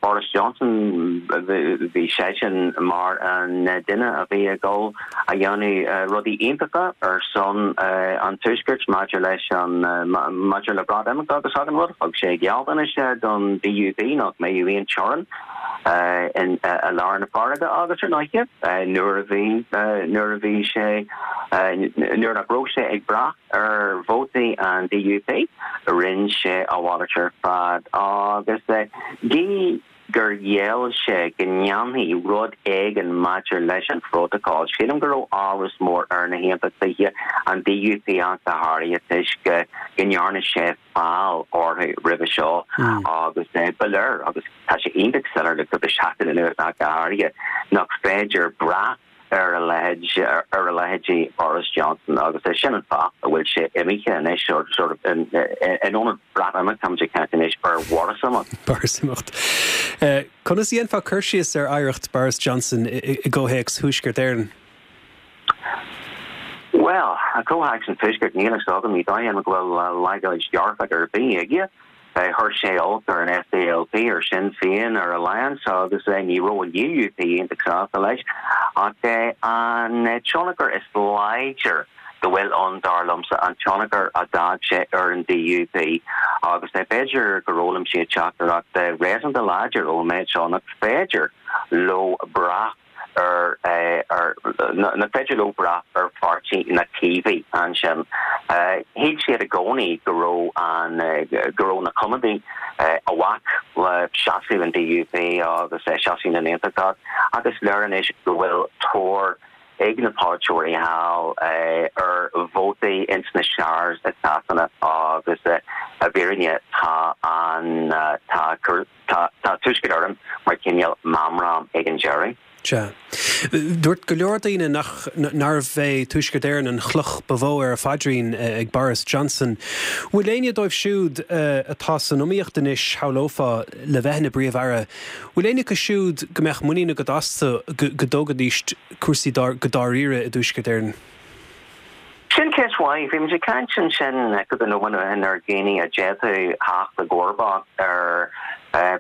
Boris Johnson, bhí seisean mar an duine a bhí ag dul a dhéanamh rudaí iontacha ar son an Tuaiscirt maidir leis an maidir le Breatimeacht agus achan rud. Thug sé gealltanais don D U P nach mbeadh aon teorainn i lár na farraige agus ar ndóighe nuair a bhí nuair a bhí sé nuair nach raibh sé ag brath ar vótaí an D U P rinne sé a mhalairt ar fad agus gí gur gheall sé go ndéanfaí rud éigin maidir leis an phrótacal. Sílim go raibh amhras mór ar na hAontachtaithe, an DUP ach go háirithe, toisc go ndearna sé feall orthu roimhe seo agus ba léir, agus tá sé iontach soiléir le cúpla seachtain anuas ach go háirithe, nach féidir brath ar a leithéid, ar a leithéidí Boris Johnson agus é sin an fáth a bhfuil sé imithe anois, sort of, in ionad Breatimeacht, táimid ag caint anois ar Bhorisimeacht.
Borisimeacht. Conas a dhéanfá cur síos ar oidhreacht Boris Johnson i gcomhthéacs Thuaisceart Éireann?
Bhuel, i gcomhthéacs an Tuaiscirt, níl a fhios agam, ní dóigh liom go bhfuil leithéid dearfach ar bith aige. Chuir sé olc ar an SDLP, ar Sinn Féin, ar Alliance agus ní raibh an UUP iontach sásta leis. Ach an tionchar is láidir go bhfuil ann, dar liomsa, an tionchar a d'fhág sé ar an DUP agus b'fhéidir gur fhoghlaim siad teachtaireacht réasúnta láidir ón méid seo nach féidir leo brath ar ar nach féidir leo brath ar pháirtí na Caomhaigh ansin. Shíl siad i gcónaí go raibh an go raibh na Coimeádaigh a bhac le seasamh an DUP agus seasamh na nAontachtach ach is léir anois go bhfuil tóir ag na polaiteoirí thall ar vótaí ins na shires i Sasana agus i bhfírinne tá an tá tá tá Tuaisceart Éireann mar cineál meamram ag an deireadh.
Sea. Dúirt go leor daoine nach nárbh é Tuaisceart Éireann an chloch ba mhó ar a phaidrín ag Boris Johnson. Bhfuil éinne dóibh siúd atá san iomaíocht anois, shamhlófá, le bheith ina bPríomh-Aire, bhfuil éinne acu siúd go mbeadh muinín agat astu go dtógfaidís cúrsaí go dáiríre i dTuaisceart Éireann?
Sin ceist mhaith. Bhí muid ag caint ansin cúpla nóiméad ó shin ar dhaoine a d'fhéadfadh theacht i gcomharbacht ar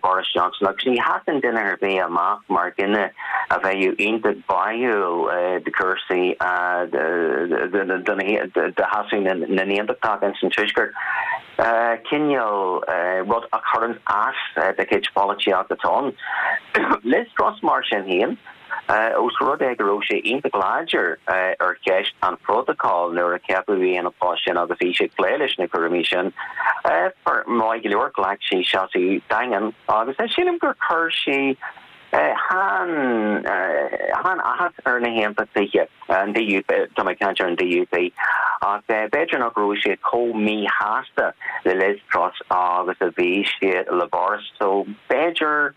Boris Johnson agus ní thagann duine ar bith amach mar dhuine a bheadh iontach báúil do chúrsaí do sheasamh na nAontachtach ins an Tuaisceart. Cineál rud a chuireann as do chuid polaitíocht atá ann. Liz Truss mar sin féin. Ós rud é go raibh sé iontach láidir ar cheist an phrótacail nuair a ceapadh í ina post sin agus í ag plé leis na cúraimí sin, maith go leor, ghlac sí seasamh daingean agus sílim gur chuir sí an-áthas ar na hAontachtaithe, an DUP, tá mé ag caint ar an DUP, ach b'fhéidir nach raibh siad chomh míshásta le Liz Truss agus a bhí siad le Boris, so b'fhéidir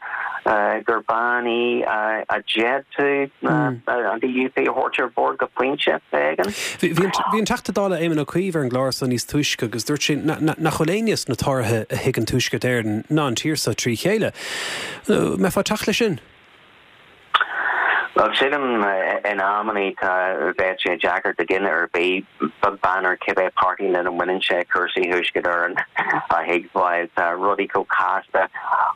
gur bean í a d'fhéadfadh an DUP a thabhairt ar bord go pointe éigin.
Bhí an Teachta Dála Éamon Ó Cuív ar an gclár so níos túisce agus dúirt sé nach bhfuil éinne sna Tóraithe a thuigeann Tuaisceart Éireann ná an tír so trí chéile. Mbeifeá ag teacht leis sin?
Bhuel, sílim in amannaí tá bheadh sé deacair do dhuine ar bith, beag beann ar cibé páirtí lena mbaineann sé, cúrsaí Thuaisceart Éireann a thuigbheáil. Tá rudaí chomh casta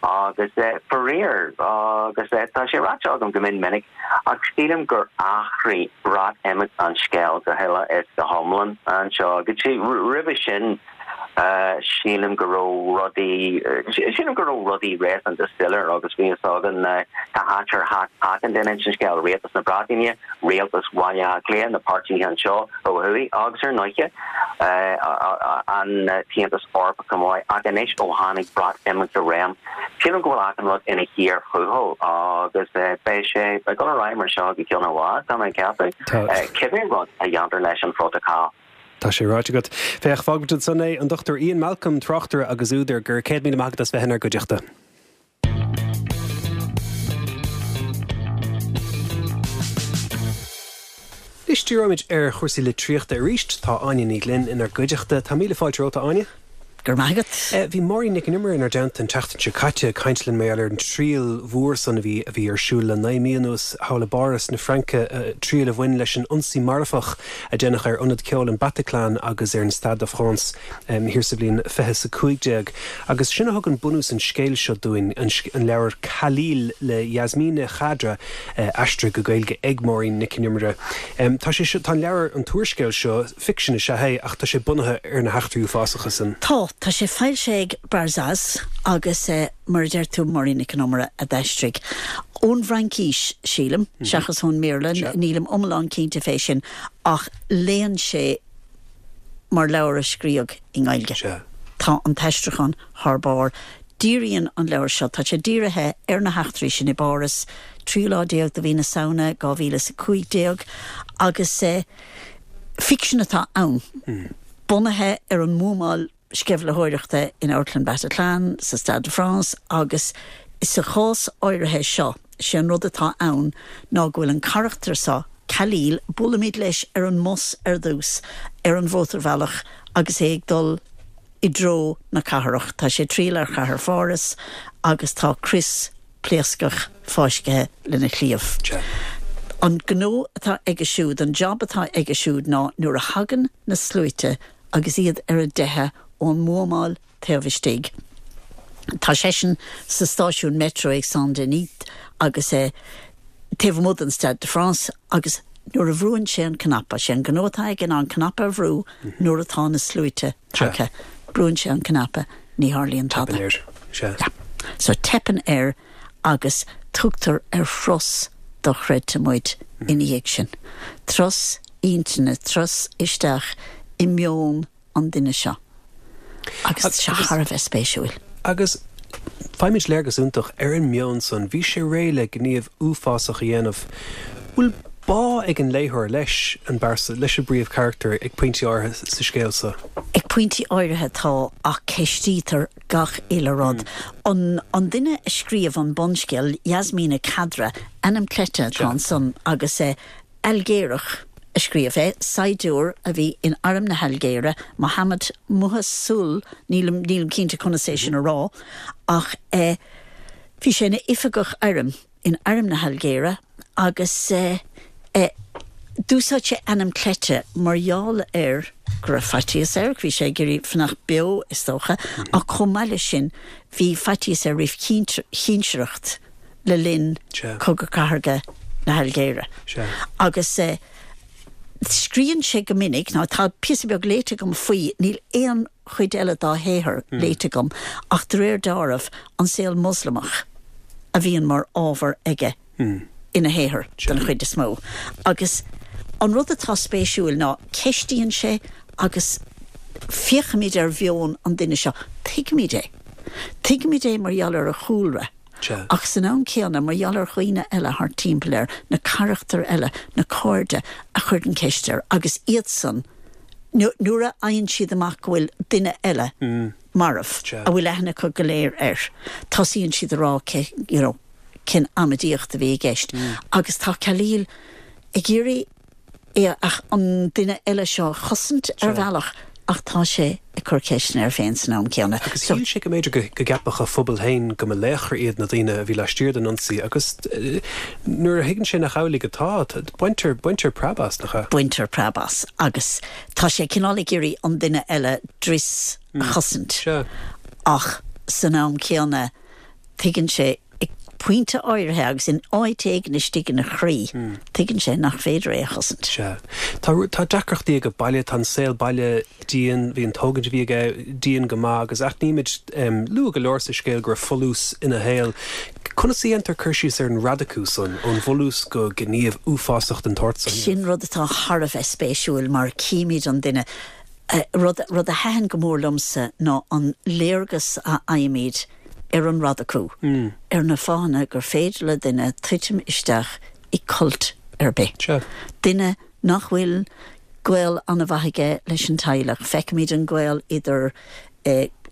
agus faraor, agus tá sé ráite agam go mion minic, ach sílim gur athraigh Breatimeacht an scéal go huile is go hiomlán anseo. Go dtí roimhe sin, Sílim go raibh rudaí, sílim go raibh rudaí réasúnta soiléir agus bhí fhios againn cá háit ar thacaigh achan duine ins an scéal, Rialtas na Breataine, Rialtas Bhaile Átha Cliath, na páirtithe anseo ó thuaidh agus ar ndóiche an tAontas Eorpach chomh maith. Ach anois ó tháinig Breatimeacht i réim, sílim go bhfuil achan rud ina chíor thuathail agus beidh sé ag dul ar aghaidh mar seo go ceann i bhfad, tá mé ag ceapadh, cibé rud a dhéantar leis an phrótacal.
Tá sé ráite agat. Féach, fágfaimid ansan é, an Dochtúir Ian Malcolm, tráchtaire agus údar, go raibh céad míle maith agat as bheith inár gcuideachta. Anois díreoimid ar chúrsaí litríochta arís. Tá Áine Ní Ghlinn inár gcuideachta. Tá míle fáilte romhat, a Áine.
Go raibh maith agat.
Bhí Máirín Nic an Iomaire inár dteannta an tseachtain seo caite ag caint linn mar gheall ar an triail mhór san a bhí a bhí ar siúl le naoi mí anuas thall i bPáras na Fraince, triail a bhain leis an ionsaí marfach a déanadh ar ionad ceoil an Bataclan agus ar an Stade de France thiar sa bhliain fiche is a cúig déag. Agus sin a thugann bunús an scéil seo dúinn, an leabhar Khalil le Yasmina Khadra, aistrithe go Gaeilge ag Máirín Nic an Iomaire. Tá sé seo, tá an leabhar, an t-úrscéal seo, ficsean is ea é ach tá sé bunaithe ar na heachtraí uafásacha san.
Tá, tá sé foilsithe ag Barzaz agus mar a deir tú Máirín Nic an Iomaire a d'aistrigh. Ón bhFraincís, sílim, seachas ón mBéarla, nílim iomlán cinnte fé sin, ach léann sé mar leabhar a scríodh i nGaeilge. Tá an t-aistriúchán thar barr. Díríonn an leabhar seo, tá sé dírithe ar na heachtraí sin i bPáras, tríú lá déag de mhí na Samhna dhá mhíle is a cúig déag, agus ficsean atá ann, bunaithe ar an mbuamáil sceimhlitheoireachta in Amharclann Bataclan, sa Stade de France, agus sa chás áirithe seo, sé an rud atá ann ná go bhfuil an carachtar seo, Khalil, buailimid leis ar an mbus ar dtús, ar an mhótarbhealach agus é ag dul i dtreo na cathrach. Tá sé ag triall ar chathair Pháras agus tá crios pléascach fáiscthe lena chliabh. An gnó atá aige siúd, an job atá aige siúd ná nuair a thagann na sluaite agus iad ar a dteitheadh ón mbuamáil taobh istigh, tá seisean sa stáisiún metro ag Saint-Denis agus é taobh amuigh den Stade de France agus nuair a bhrúann sé an cnaipe, sé an gnó atá aige ná an cnaipe a bhrú nuair atá na sluaite tagtha. Brúann sé an cnaipe, ní tharlaíonn tada.
Teipeann air, sea.
Yeah. So teipeann air agus tugtar ar thuras dochreidte muid ina dhiaidh sin. Turas intinne, turas isteach i meon an duine seo. Agus tá sé thar a bheith spéisiúil.
Agus faighimid léargas iontach ar an meon san. Bhí sé réidh le gníomh uafásach a dhéanamh. Bhfuil bá ag an léitheoir leis an bpearsa, leis an bpríomhcharachtar ag pointí áirithe sa scéal seo?
Ag pointí áirithe tá, ach ceistítear gach uile rud. An an duine a scríobh an bunscéal, Yasmina Khadra, ainm cleite atá ansan agus Ailgéarach a scríobh é, saighdiúir a bhí in arm na hAilgéire, Mohamed Mouhassoul, nílim nílim cinnte conas é sin a rá, ach bhí sé ina oifigeach airm in arm na hAilgéire agus d'úsáid sé ainm cleite mar gheall ar go raibh faitíos air, bhí sé ag iarraidh fanacht beo is dócha, ach chomh maith leis sin bhí faitíos air roimh chinsireacht le linn Cogadh Cathartha na hAilgéire. Agus scríobhann sé go minic, nó tá píosa beag léite agam faoi, níl aon chuid eile dá shaothar léite agam, ach de réir dealraimh, an saol Moslamach a bhíonn mar ábhar aige ina shaothar den chuid is mó. Agus an rud atá spéisiúil ná ceistíonn sé agus féachaimid ar mheon an duine seo, tuigimid é. Tuigimid é mar gheall ar a chúlra. Ach san am céanna, mar gheall ar dhaoine eile thart timpeall air, na carachtair eile, na cairde a chuireann ceist air agus iadsan, nuair a fhaigheann siad amach go bhfuil duine eile marbh, a bhfuil aithne acu go léir air, tosaíonn siad a rá you know, cén amaidíocht a bhí i gceist. Agus tá Khalil ag iarraidh é an duine eile seo a chosaint ar bhealach ach tá sé ag cur ceisteanna air féin san am céanna.
Agus shíl sé go mb'fhéidir go gceapfadh a phobal féin go mba laochra iad na daoine a bhí laistiar den ionsaí agus nuair a thuigeann sé nach amhlaidh atá, baintear, baintear preab as, nach ea?
Baintear preab as agus tá sé cineál ag iarraidh an duine eile dris a chosaint ach san am céanna tuigeann sé ag pointe áirithe agus in áit éigin istigh ina chroí, tuigeann sé nach féidir é a chosaint.
Sea. Tá, tá deacrachtaí aige baile, tá an saol baile dian, bhí an tógaint a bhí aige dian go maith agus aithnímid luath go leor sa scéal go raibh folús ina shaol. Conas a dhéantar cur síos ar an radacú san, ón bhfolús go gníomh uafásach den tsórt san?
Sin rud atá thar a bheith spéisiúil mar címid an duine. Rud, rud a thaitin go mór liomsa ná an léargas a fhaighimid ar an radacú, ar na fáthanna gur féidir le duine titim isteach i cult ar bith. Duine nach bhfuil gaol an-mhaith aige leis an teaghlach. Feicimid an gaol idir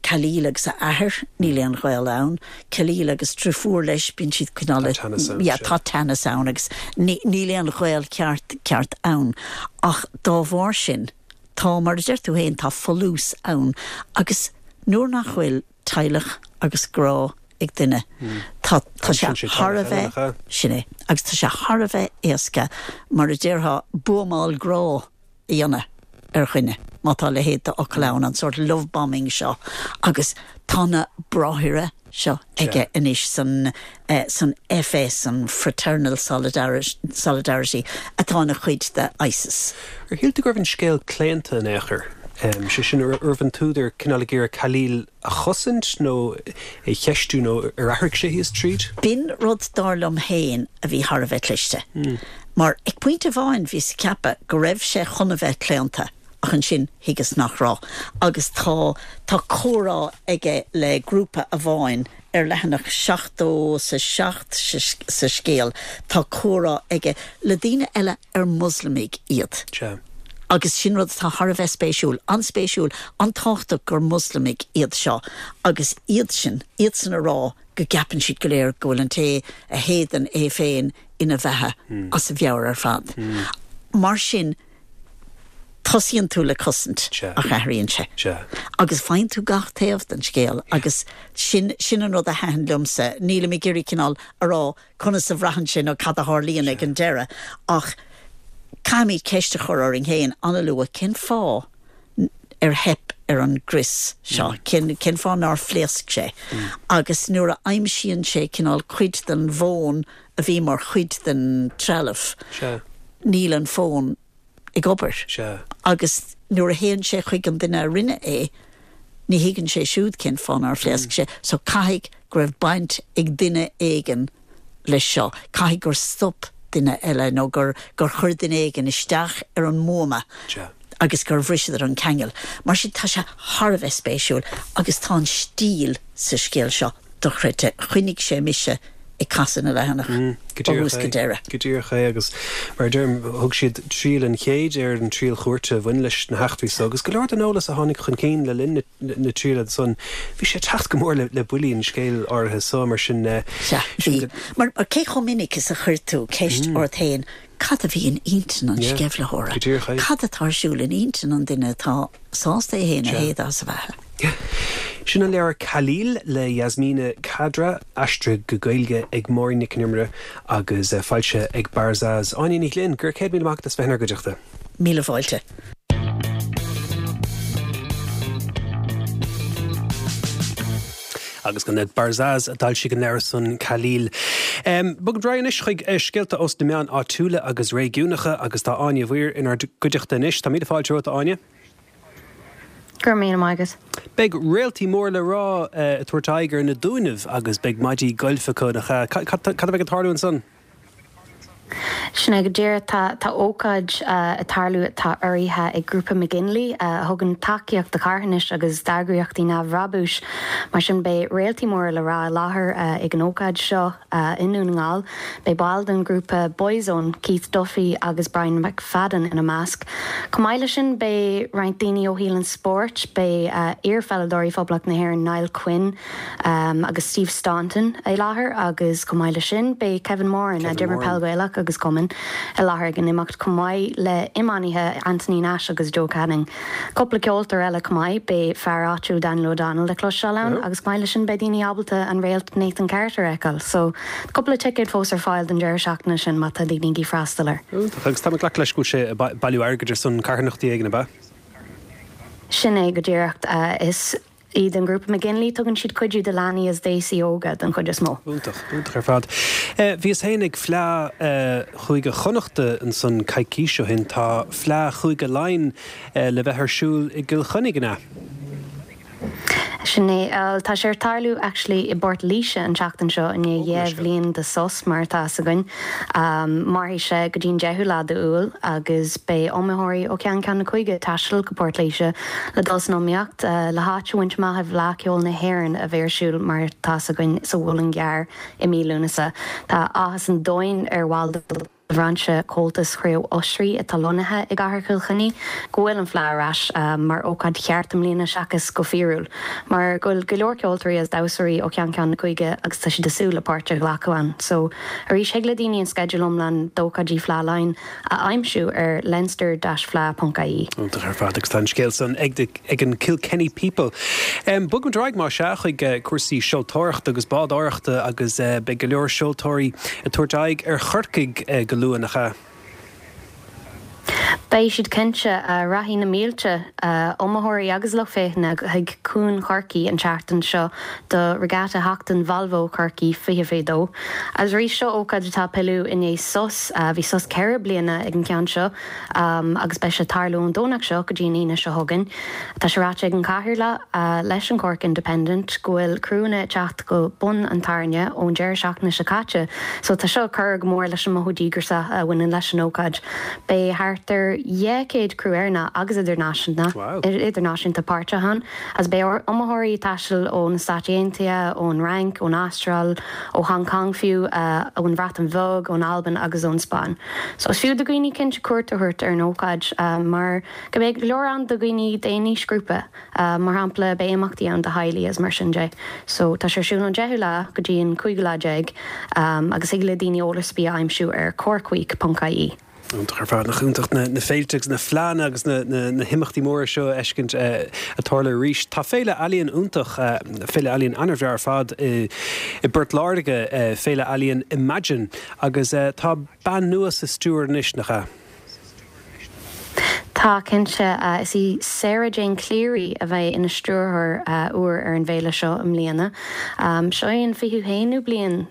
Khalil agus a athair, níl aon ghaol ann. Khalil agus driofúr leis, bíonn siad cineál
Tá teannas ann,
yeah, tá teannas ann agus níl aon ghaol ceart ceart ann. Ach dá bharr sin, tá, mar a deir tú féin, tá folús ann agus nuair nach bhfuil teaghlach agus grá ag duine, tá tá sé thar a bheith, sin é, agus tá sé thar a bheith éasca, mar a déarfá, buamáil grá a dhéanamh ar dhuine, má tá a leithéid d'fhocal ann, an sórt love bombing seo. Agus tá na bráithre seo aige anois san san FS, an Fraternal Solidarity, atá ina chuid de ISIS.
Ar shíl tú go raibh an scéal claonta in aon chor? Sé sin, an raibh an t-údar cineál ag iarraidh Khalil a chosaint nó é cheistiú nó ar athraigh sé thíos tríd?
B'in rud dar liom féin a bhí thar a bheith cliste. Mar ag pointe amháin bhíos ag ceapadh go raibh sé chun a bheith claonta ach ansin thuigeas nach raibh. Agus tá tá comhrá aige le grúpa amháin ar leathanach seachtó sa seacht sa scéal, tá comhrá aige le daoine eile ar Moslamaigh iad.
Sea.
Agus sin rud atá thar a bheith spéisiúil, an-spéisiúil, an-tábhachtach gur Moslamaigh iad seo agus iad sin, iadsan a rá go gceapann siad go léir go bhfuil an té a shéideann é féin ina bheatha as a mheabhair ar fad. Mar sin, tosaíonn tú le cosaint ach athraíonn sé. Agus faigheann tú gach taobh den scéal agus sin sin an rud a thaitin liomsa. Nílim ag iarraidh cineál a rá conas a bhraitheann sé nó cad a tharlaíonn ag an deireadh ach caithfimid ceist a chur orainn féin an-luath cén fáth ar theip ar an gcrios seo, cén cén fáth nár phléasc sé. Agus nuair a aimsíonn sé cineál cuid den bhfón a bhí mar chuid den trealamh, níl an fón ag obair. Agus nuair a théann sé chuig an duine a rinne é, ní thuigeann sé siúd cén fáth nár phléasc sé. So caithfidh go raibh baint ag duine éigin leis seo. Caithfidh gur stop duine eile nó gur gur chuir duine éigin isteach ar an mbuama agus gur bhriseadar an ceangal. Mar sin tá sé thar a bheith spéisiúil agus tá an stíl sa scéal seo dochreidte. Choinnigh sé mise ag casadh na leathanach ó thús go deireadh.
Go díreach é agus mar a deirim thug siad triail an chéid ar an triail chúirte a bhain leis na heachtraí so agus go leor den eolas a tháinig chun cinn le linn na triaila san bhí sé ag teacht go mór le buillí an scéil áirithe so mar sin
Sea, bhí. Mar cé chomh minic is a chuir tú ceist ort féin cad a bhí in intinn an sceimhlitheora? Cad atá ar siúl in intinn an duine atá sásta é féin a shéideadh as a bheatha?
Sin an leabhar Khalil le Yasmina Khadra, aistrithe go Gaeilge ag Máirín Nic an Iomaire agus foilsithe ag Barzaz. Áine Ní Ghlinn, go raibh céad míle maith agat as bheith inár gcuideachta.
Míle fáilte.
Agus gan dabht Barzaz a d'fhoilsigh an leabhar san Khalil. Bogaimid ar aghaidh anois chuig scéalta ós na meáin áitiúla agus réigiúnacha agus tá Áine Mhaoir inár gcuideachta anois. Tá míle fáilte romhat a Áine.
Go raibh míle maith agat.
Beidh réaltaí mór le rá ag tabhairt aghaidh ar na Dúnaibh agus beidh maidí gailf acu, nach ea? Cad a bheidh ag tarlú ansan?
Sin é go díreach. Tá tá ócáid ag tarlú atá urraithe ag Grúpa McGinley, a thugann tacaíocht do charthanais agus d'eagraíochtaí neamhbhrabúis. Mar sin beidh réaltaí móra le rá i láthair ag an ócáid seo i nDún na nGall. Beidh baill den ghrúpa Boyzone, Keith Duffy agus Brian McFadden ina measc. Chomh maith leis sin, beidh roinnt daoine ó shaol an spóirt, beidh iar-pheileadóirí Phoblacht na hÉireann Niall Quinn agus Steve Staunton i láthair agus chomh maith leis sin, beidh Kevin Moran, a d'imir peil Ghaelach agus cumainn, i láthair ag an imeacht chomh maith le iománaithe Anthony Nash agus Joe Canning. Cúpla ceoltóir eile chomh maith, beidh fear áitiúil Daniel O'Donnell le cloisteáil ann agus chomh maith leis sin beidh daoine ábalta an réalt Nathan Carter a fheiceáil. So, cúpla ticéad fós ar fáil don deireadh seachtaine sin má tá daoine ag freastal air.
Iontach. Agus tá mé ag glacadh leis go bhfuil sé ag bailiú airgid ar son carthanachtaí éigin, ab ea?
Sin é go díreach. Is iad an grúpa McGinley, tugann siad cuidiú do leanaí is d'aosaigh óga den chuid is mó.
Iontach, iontach ar fad. Bhíos féin ag Fleadh Chúige Chonnachta ansan coicís ó shin. Tá Fleadh Chúige Laighean le bheith ar siúl i gCill Chainnigh, an ea?
Sin é. Bhuel, tá sé ar tarlú actually i bPort Laoise an tseachtain seo i ndiaidh dheich bhliain de sos mar atá fhios againn. Mairfidh sé go dtí an deichiú lá d'Iúil agus beidh iomaitheoirí ó cheann ceann na cúige ag taisteal go Port Laoise le dul san iomaíocht le háit a bhaint amach i bhFleadh Cheoil na hÉireann a bheidh ar siúl mar atá fhios againn sa Mhuileann gCearr i mí Lúnasa. Tá áthas an domhain ar bhaill de bhrainse Comhaltas Chraobh Osraí atá lonnaithe i gcathair Chill Chainnigh go bhfuil an Fleadh ar ais mar ócáid cheart i mbliana seachas go fíorúil mar go bhfuil go leor ceoltóirí agus damhsóirí ó cheann ceann na cúige agus tá siad ag súil le páirt a ghlacadh ann. So arís thig le daoine an sceideal iomlán d'ócáidí Fleadh Laighean a aimsiú ar leinster-fleadh.ie.
Iontach ar fad agus tá an scéal san ag the ag an Kilkenny People. Bogfaimid ar aghaidh más ea chuig cúrsaí seoltóireachta agus bádóireachta agus beidh go leor seoltóirí ag tabhairt aghaidh ar Chorcaigh go luath, nach ea?
Beidh siad cinnte. Rachaidh na mílte iomaitheoirí agus lucht féachana chuig Chuan Chorcaí an tseachtain seo do Regatta Sheachtain Volvo Chorcaí fiche fiche dó. Agus arís seo ócáid atá ag pilleadh i ndiaidh sos, bhí sos ceithre bliana ag an gceann seo agus beidh sé ag tarlú ón Domhnach seo go dtí an Aoine seo chugainn. Tá sé ráite ag an Cathaoirleach leis an Cork Independent go bhfuil criúnna ag teacht go Bun an Tairne ón deireadh seachtaine seo caite so tá seo ag cur go mór leis an mothú díograiseach a bhaineann leis an ócáid. Beidh thart ar dhá chéad criú Éireannach agus idirnáisiúnta páirteach ann agus beidh iomaitheoirí ag taisteal ó na Stáit Aontaithe, ón Fhrainc, ón Astráil, ó Hong Kong fiú, ón Bhreatain Bheag, ón Albain agus ón Spáinn. So is fiú do dhaoine cinnte cuairt a thabhairt ar an ócáid mar go mbeidh go leor ann do dhaoine d'aon aoisghrúpa. Mar shampla beidh imeachtaí ann do theaghlaigh agus mar sin de. So tá sé ar siúl ón deichiú lá go dtí an cúigiú lá déag agus thig le daoine eolas ar bith a aimsiú ar corkweek ponc ie.
Iontach ar fad, nach iontach na féilte agus na fleánna agus na himeachtaí móra seo a fheiscint ag tarlú arís. Tá féile ealaíon iontach, féile ealaíon an-bhreá ar fad i bPort Láirge, féile ealaíon Imagine, agus tá bean nua sa stiúir anois, nach ea?
Tá, cinnte. Is í Sarah Jane Cleary a bheidh ina stiúrthóir úr ar an bhféile seo i mbliana. Seo é an fichiú haonú bliain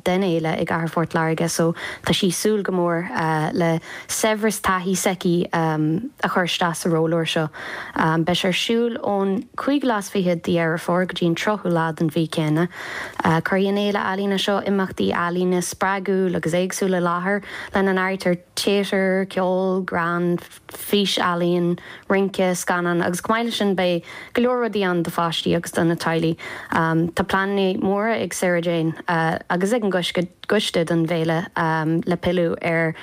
den fhéile i gcathair Phort Láirge so tá sí ag súil go mór le saibhreas taithí s'aici a chur isteach sa ról úr seo. Beidh sé ar siúl ón cúigiú lá is fiche de Dheireadh Fómhair go dtí an tríochú lá den mhí céanna. Cuirfidh an fhéile ealaíne seo imeachtaí ealaíne spreagúil agus éagsúil i láthair, lena n-áirítear téatar, ceol, greann, fís-ealaíon, rince, scannán agus chomh maith leis sin beidh go leor rudaí ann do pháistí agus do na teaghlaigh. Tá pleananna móra ag Sarah Jane agus ag an gcoiste don bhféile le pilleadh ar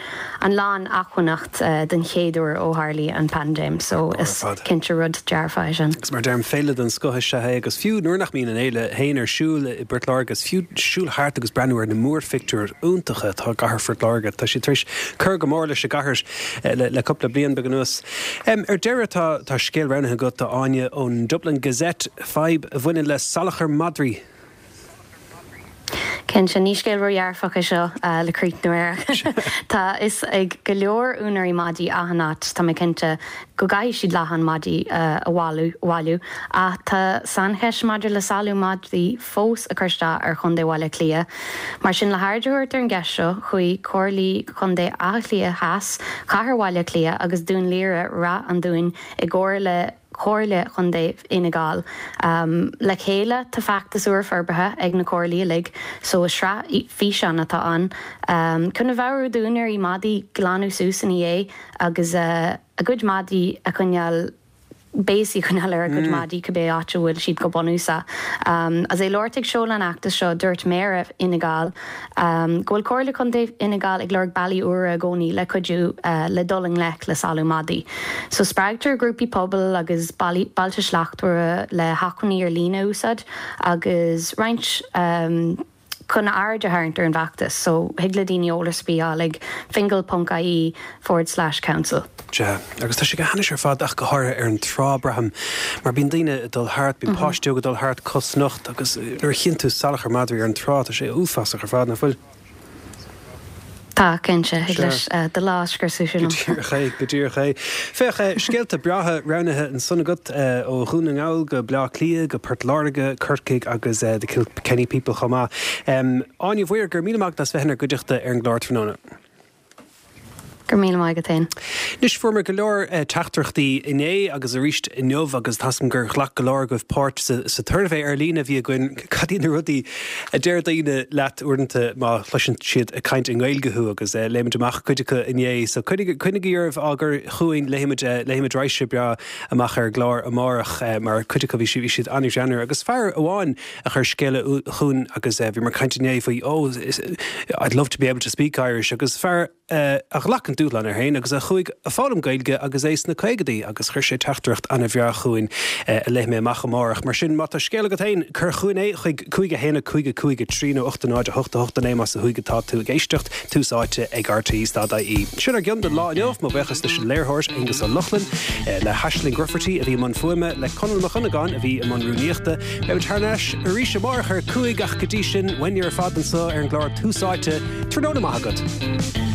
an lán-acmhainneacht den chéad uair ó tharlaigh an paindéim so is cinnte rud dearfach é sin.
Agus mar a deirim, féile den scoth is ea é agus fiú nuair nach mbíonn an fhéile féin ar siúl i bPort Láirge is fiú siúl thart agus breathnú ar na múrphictiúir iontacha atá i gcathair Phort Láirge, tá siad tar éis cur go mór leis an gcathair le cúpla bliain beag anuas. Ar deireadh tá tá scéal roghnaithe agat, a Áine, ón Dublin Gazette, fadhb a bhaineann le salachar madraí.
Cinnte, ní scéal ródhearfach é seo le críochnú air. Tá a fhios ag go leor úinéirí madaí achan áit, tá mé cinnte, go gcaithfidh siad leatháin madaí a bhailiú. Ach tá saincheist maidir le salú madraí fós ag cur isteach ar Chontae Bhaile Átha Cliath. Mar sin, le haird a thabhairt ar an gceist seo, chuaigh Comhairlí Chontae Átha Cliath Theas, Chathair Bhaile Átha Cliath agus Dún Laoghaire Rath an Dúin i gcomhar le Comhairle Chontae Fhine Gall. Le chéile, tá feachtas úr forbartha ag na comhairlí uilig, so is sraith físeán atá ann chun a mheabhrú d'úinéirí madaí glanadh suas ina dhiaidh agus a gcuid madaí a choinneáil béasaí a choinneáil ar a gcuid madaí cibé áit a bhfuil siad go bunúsach. Agus é ag labhairt ag seoladh an fheachtais seo, dúirt Méara Fhine Gall go bhfuil Comhairle Contae Fhine Gall ag lorg bealaí úra i gcónaí le cuidiú le dul i ngleic le salú madaí. So spreagtar grúpaí pobail agus Bailte Slachtmhara le hacmhainní ar líne a úsáid agus roinnt chun aird a tharraingt ar an bhfeachtas so thig le daoine eolas ar bith a fháil ag fingal ponc ie forward slash council.
Sea, agus tá sé go hainnis ar fad ach go háirithe ar an trá, braithim, mar bíonn daoine ag dul thart, bíonn páistí óga ag dul thart cosnocht agus nuair a chíonn tú salachar madraí ar an trá, tá sé uafásach ar fad, nach bhfuil?
Tá, cinnte, thig leis do lá a scriosadh sin.
Go díreach é, go díreach é. Féach, scéalta breátha roghnaithe ansan agat, ó Dhún na nGall go Baile Átha Cliath go Port Láirge, Corcaigh agus The Kilkenny People chomh maith. Áine Mhaoir, go raibh míle maith agat as bheith inár gcuideachta ar an gclár tráthnóna.
Go raibh míle maith agat féin.
Anois, fuaireamar go leor teachtaireachtaí inné agus arís inniu agus tá 's agam gur ghlac go leor agaibh páirt sa tsuirbhé ar líne a bhí againn, cad iad na rudaí a deir daoine leat uaireanta má chloiseann siad ag caint i nGaeilge thú agus léigh muid amach cuid acu inné. So coinnigí oraibh á gcur chugainn, léifimid léifimid raidhse breá amach ar an gclár amárach mar cuid acu bhí siad bhí siad an-ghreannmhar agus fear amháin a chuir scéala chugainn agus bhíomar ag caint inné faoi oh I'd love to be able to speak Irish agus fear a ghlac an dúshlán air féin agus a chuaigh ag foghlaim Gaeilge agus é sna caogadaí agus chuir sé teachtaireacht an-bhreá chugainn a léifidh mé amach amárach. Mar sin, má tá scéal agat féin, cuir chugainn é chuig cúig a haon a cúig a cúig a trí nó ocht a náid a hocht a hocht a naoi más ó thuaidh atá tú ag éisteacht, tús áite ag rte dot ie. Sin ár gcion don lá inniu, mo bhuíochas leis an léiritheoir Aonghus Ó Lochlainn, le hAisling Grufferty a bhí i mbun fuaime, le Conall Mac Dhonnagáin a bhí i mbun rúnaíochta. Beimid thar n-ais arís amárach ar a cúig ach go dtí sin, uainne ar fad anseo ar an gclár Tús Áite, tráthnóna maith agat.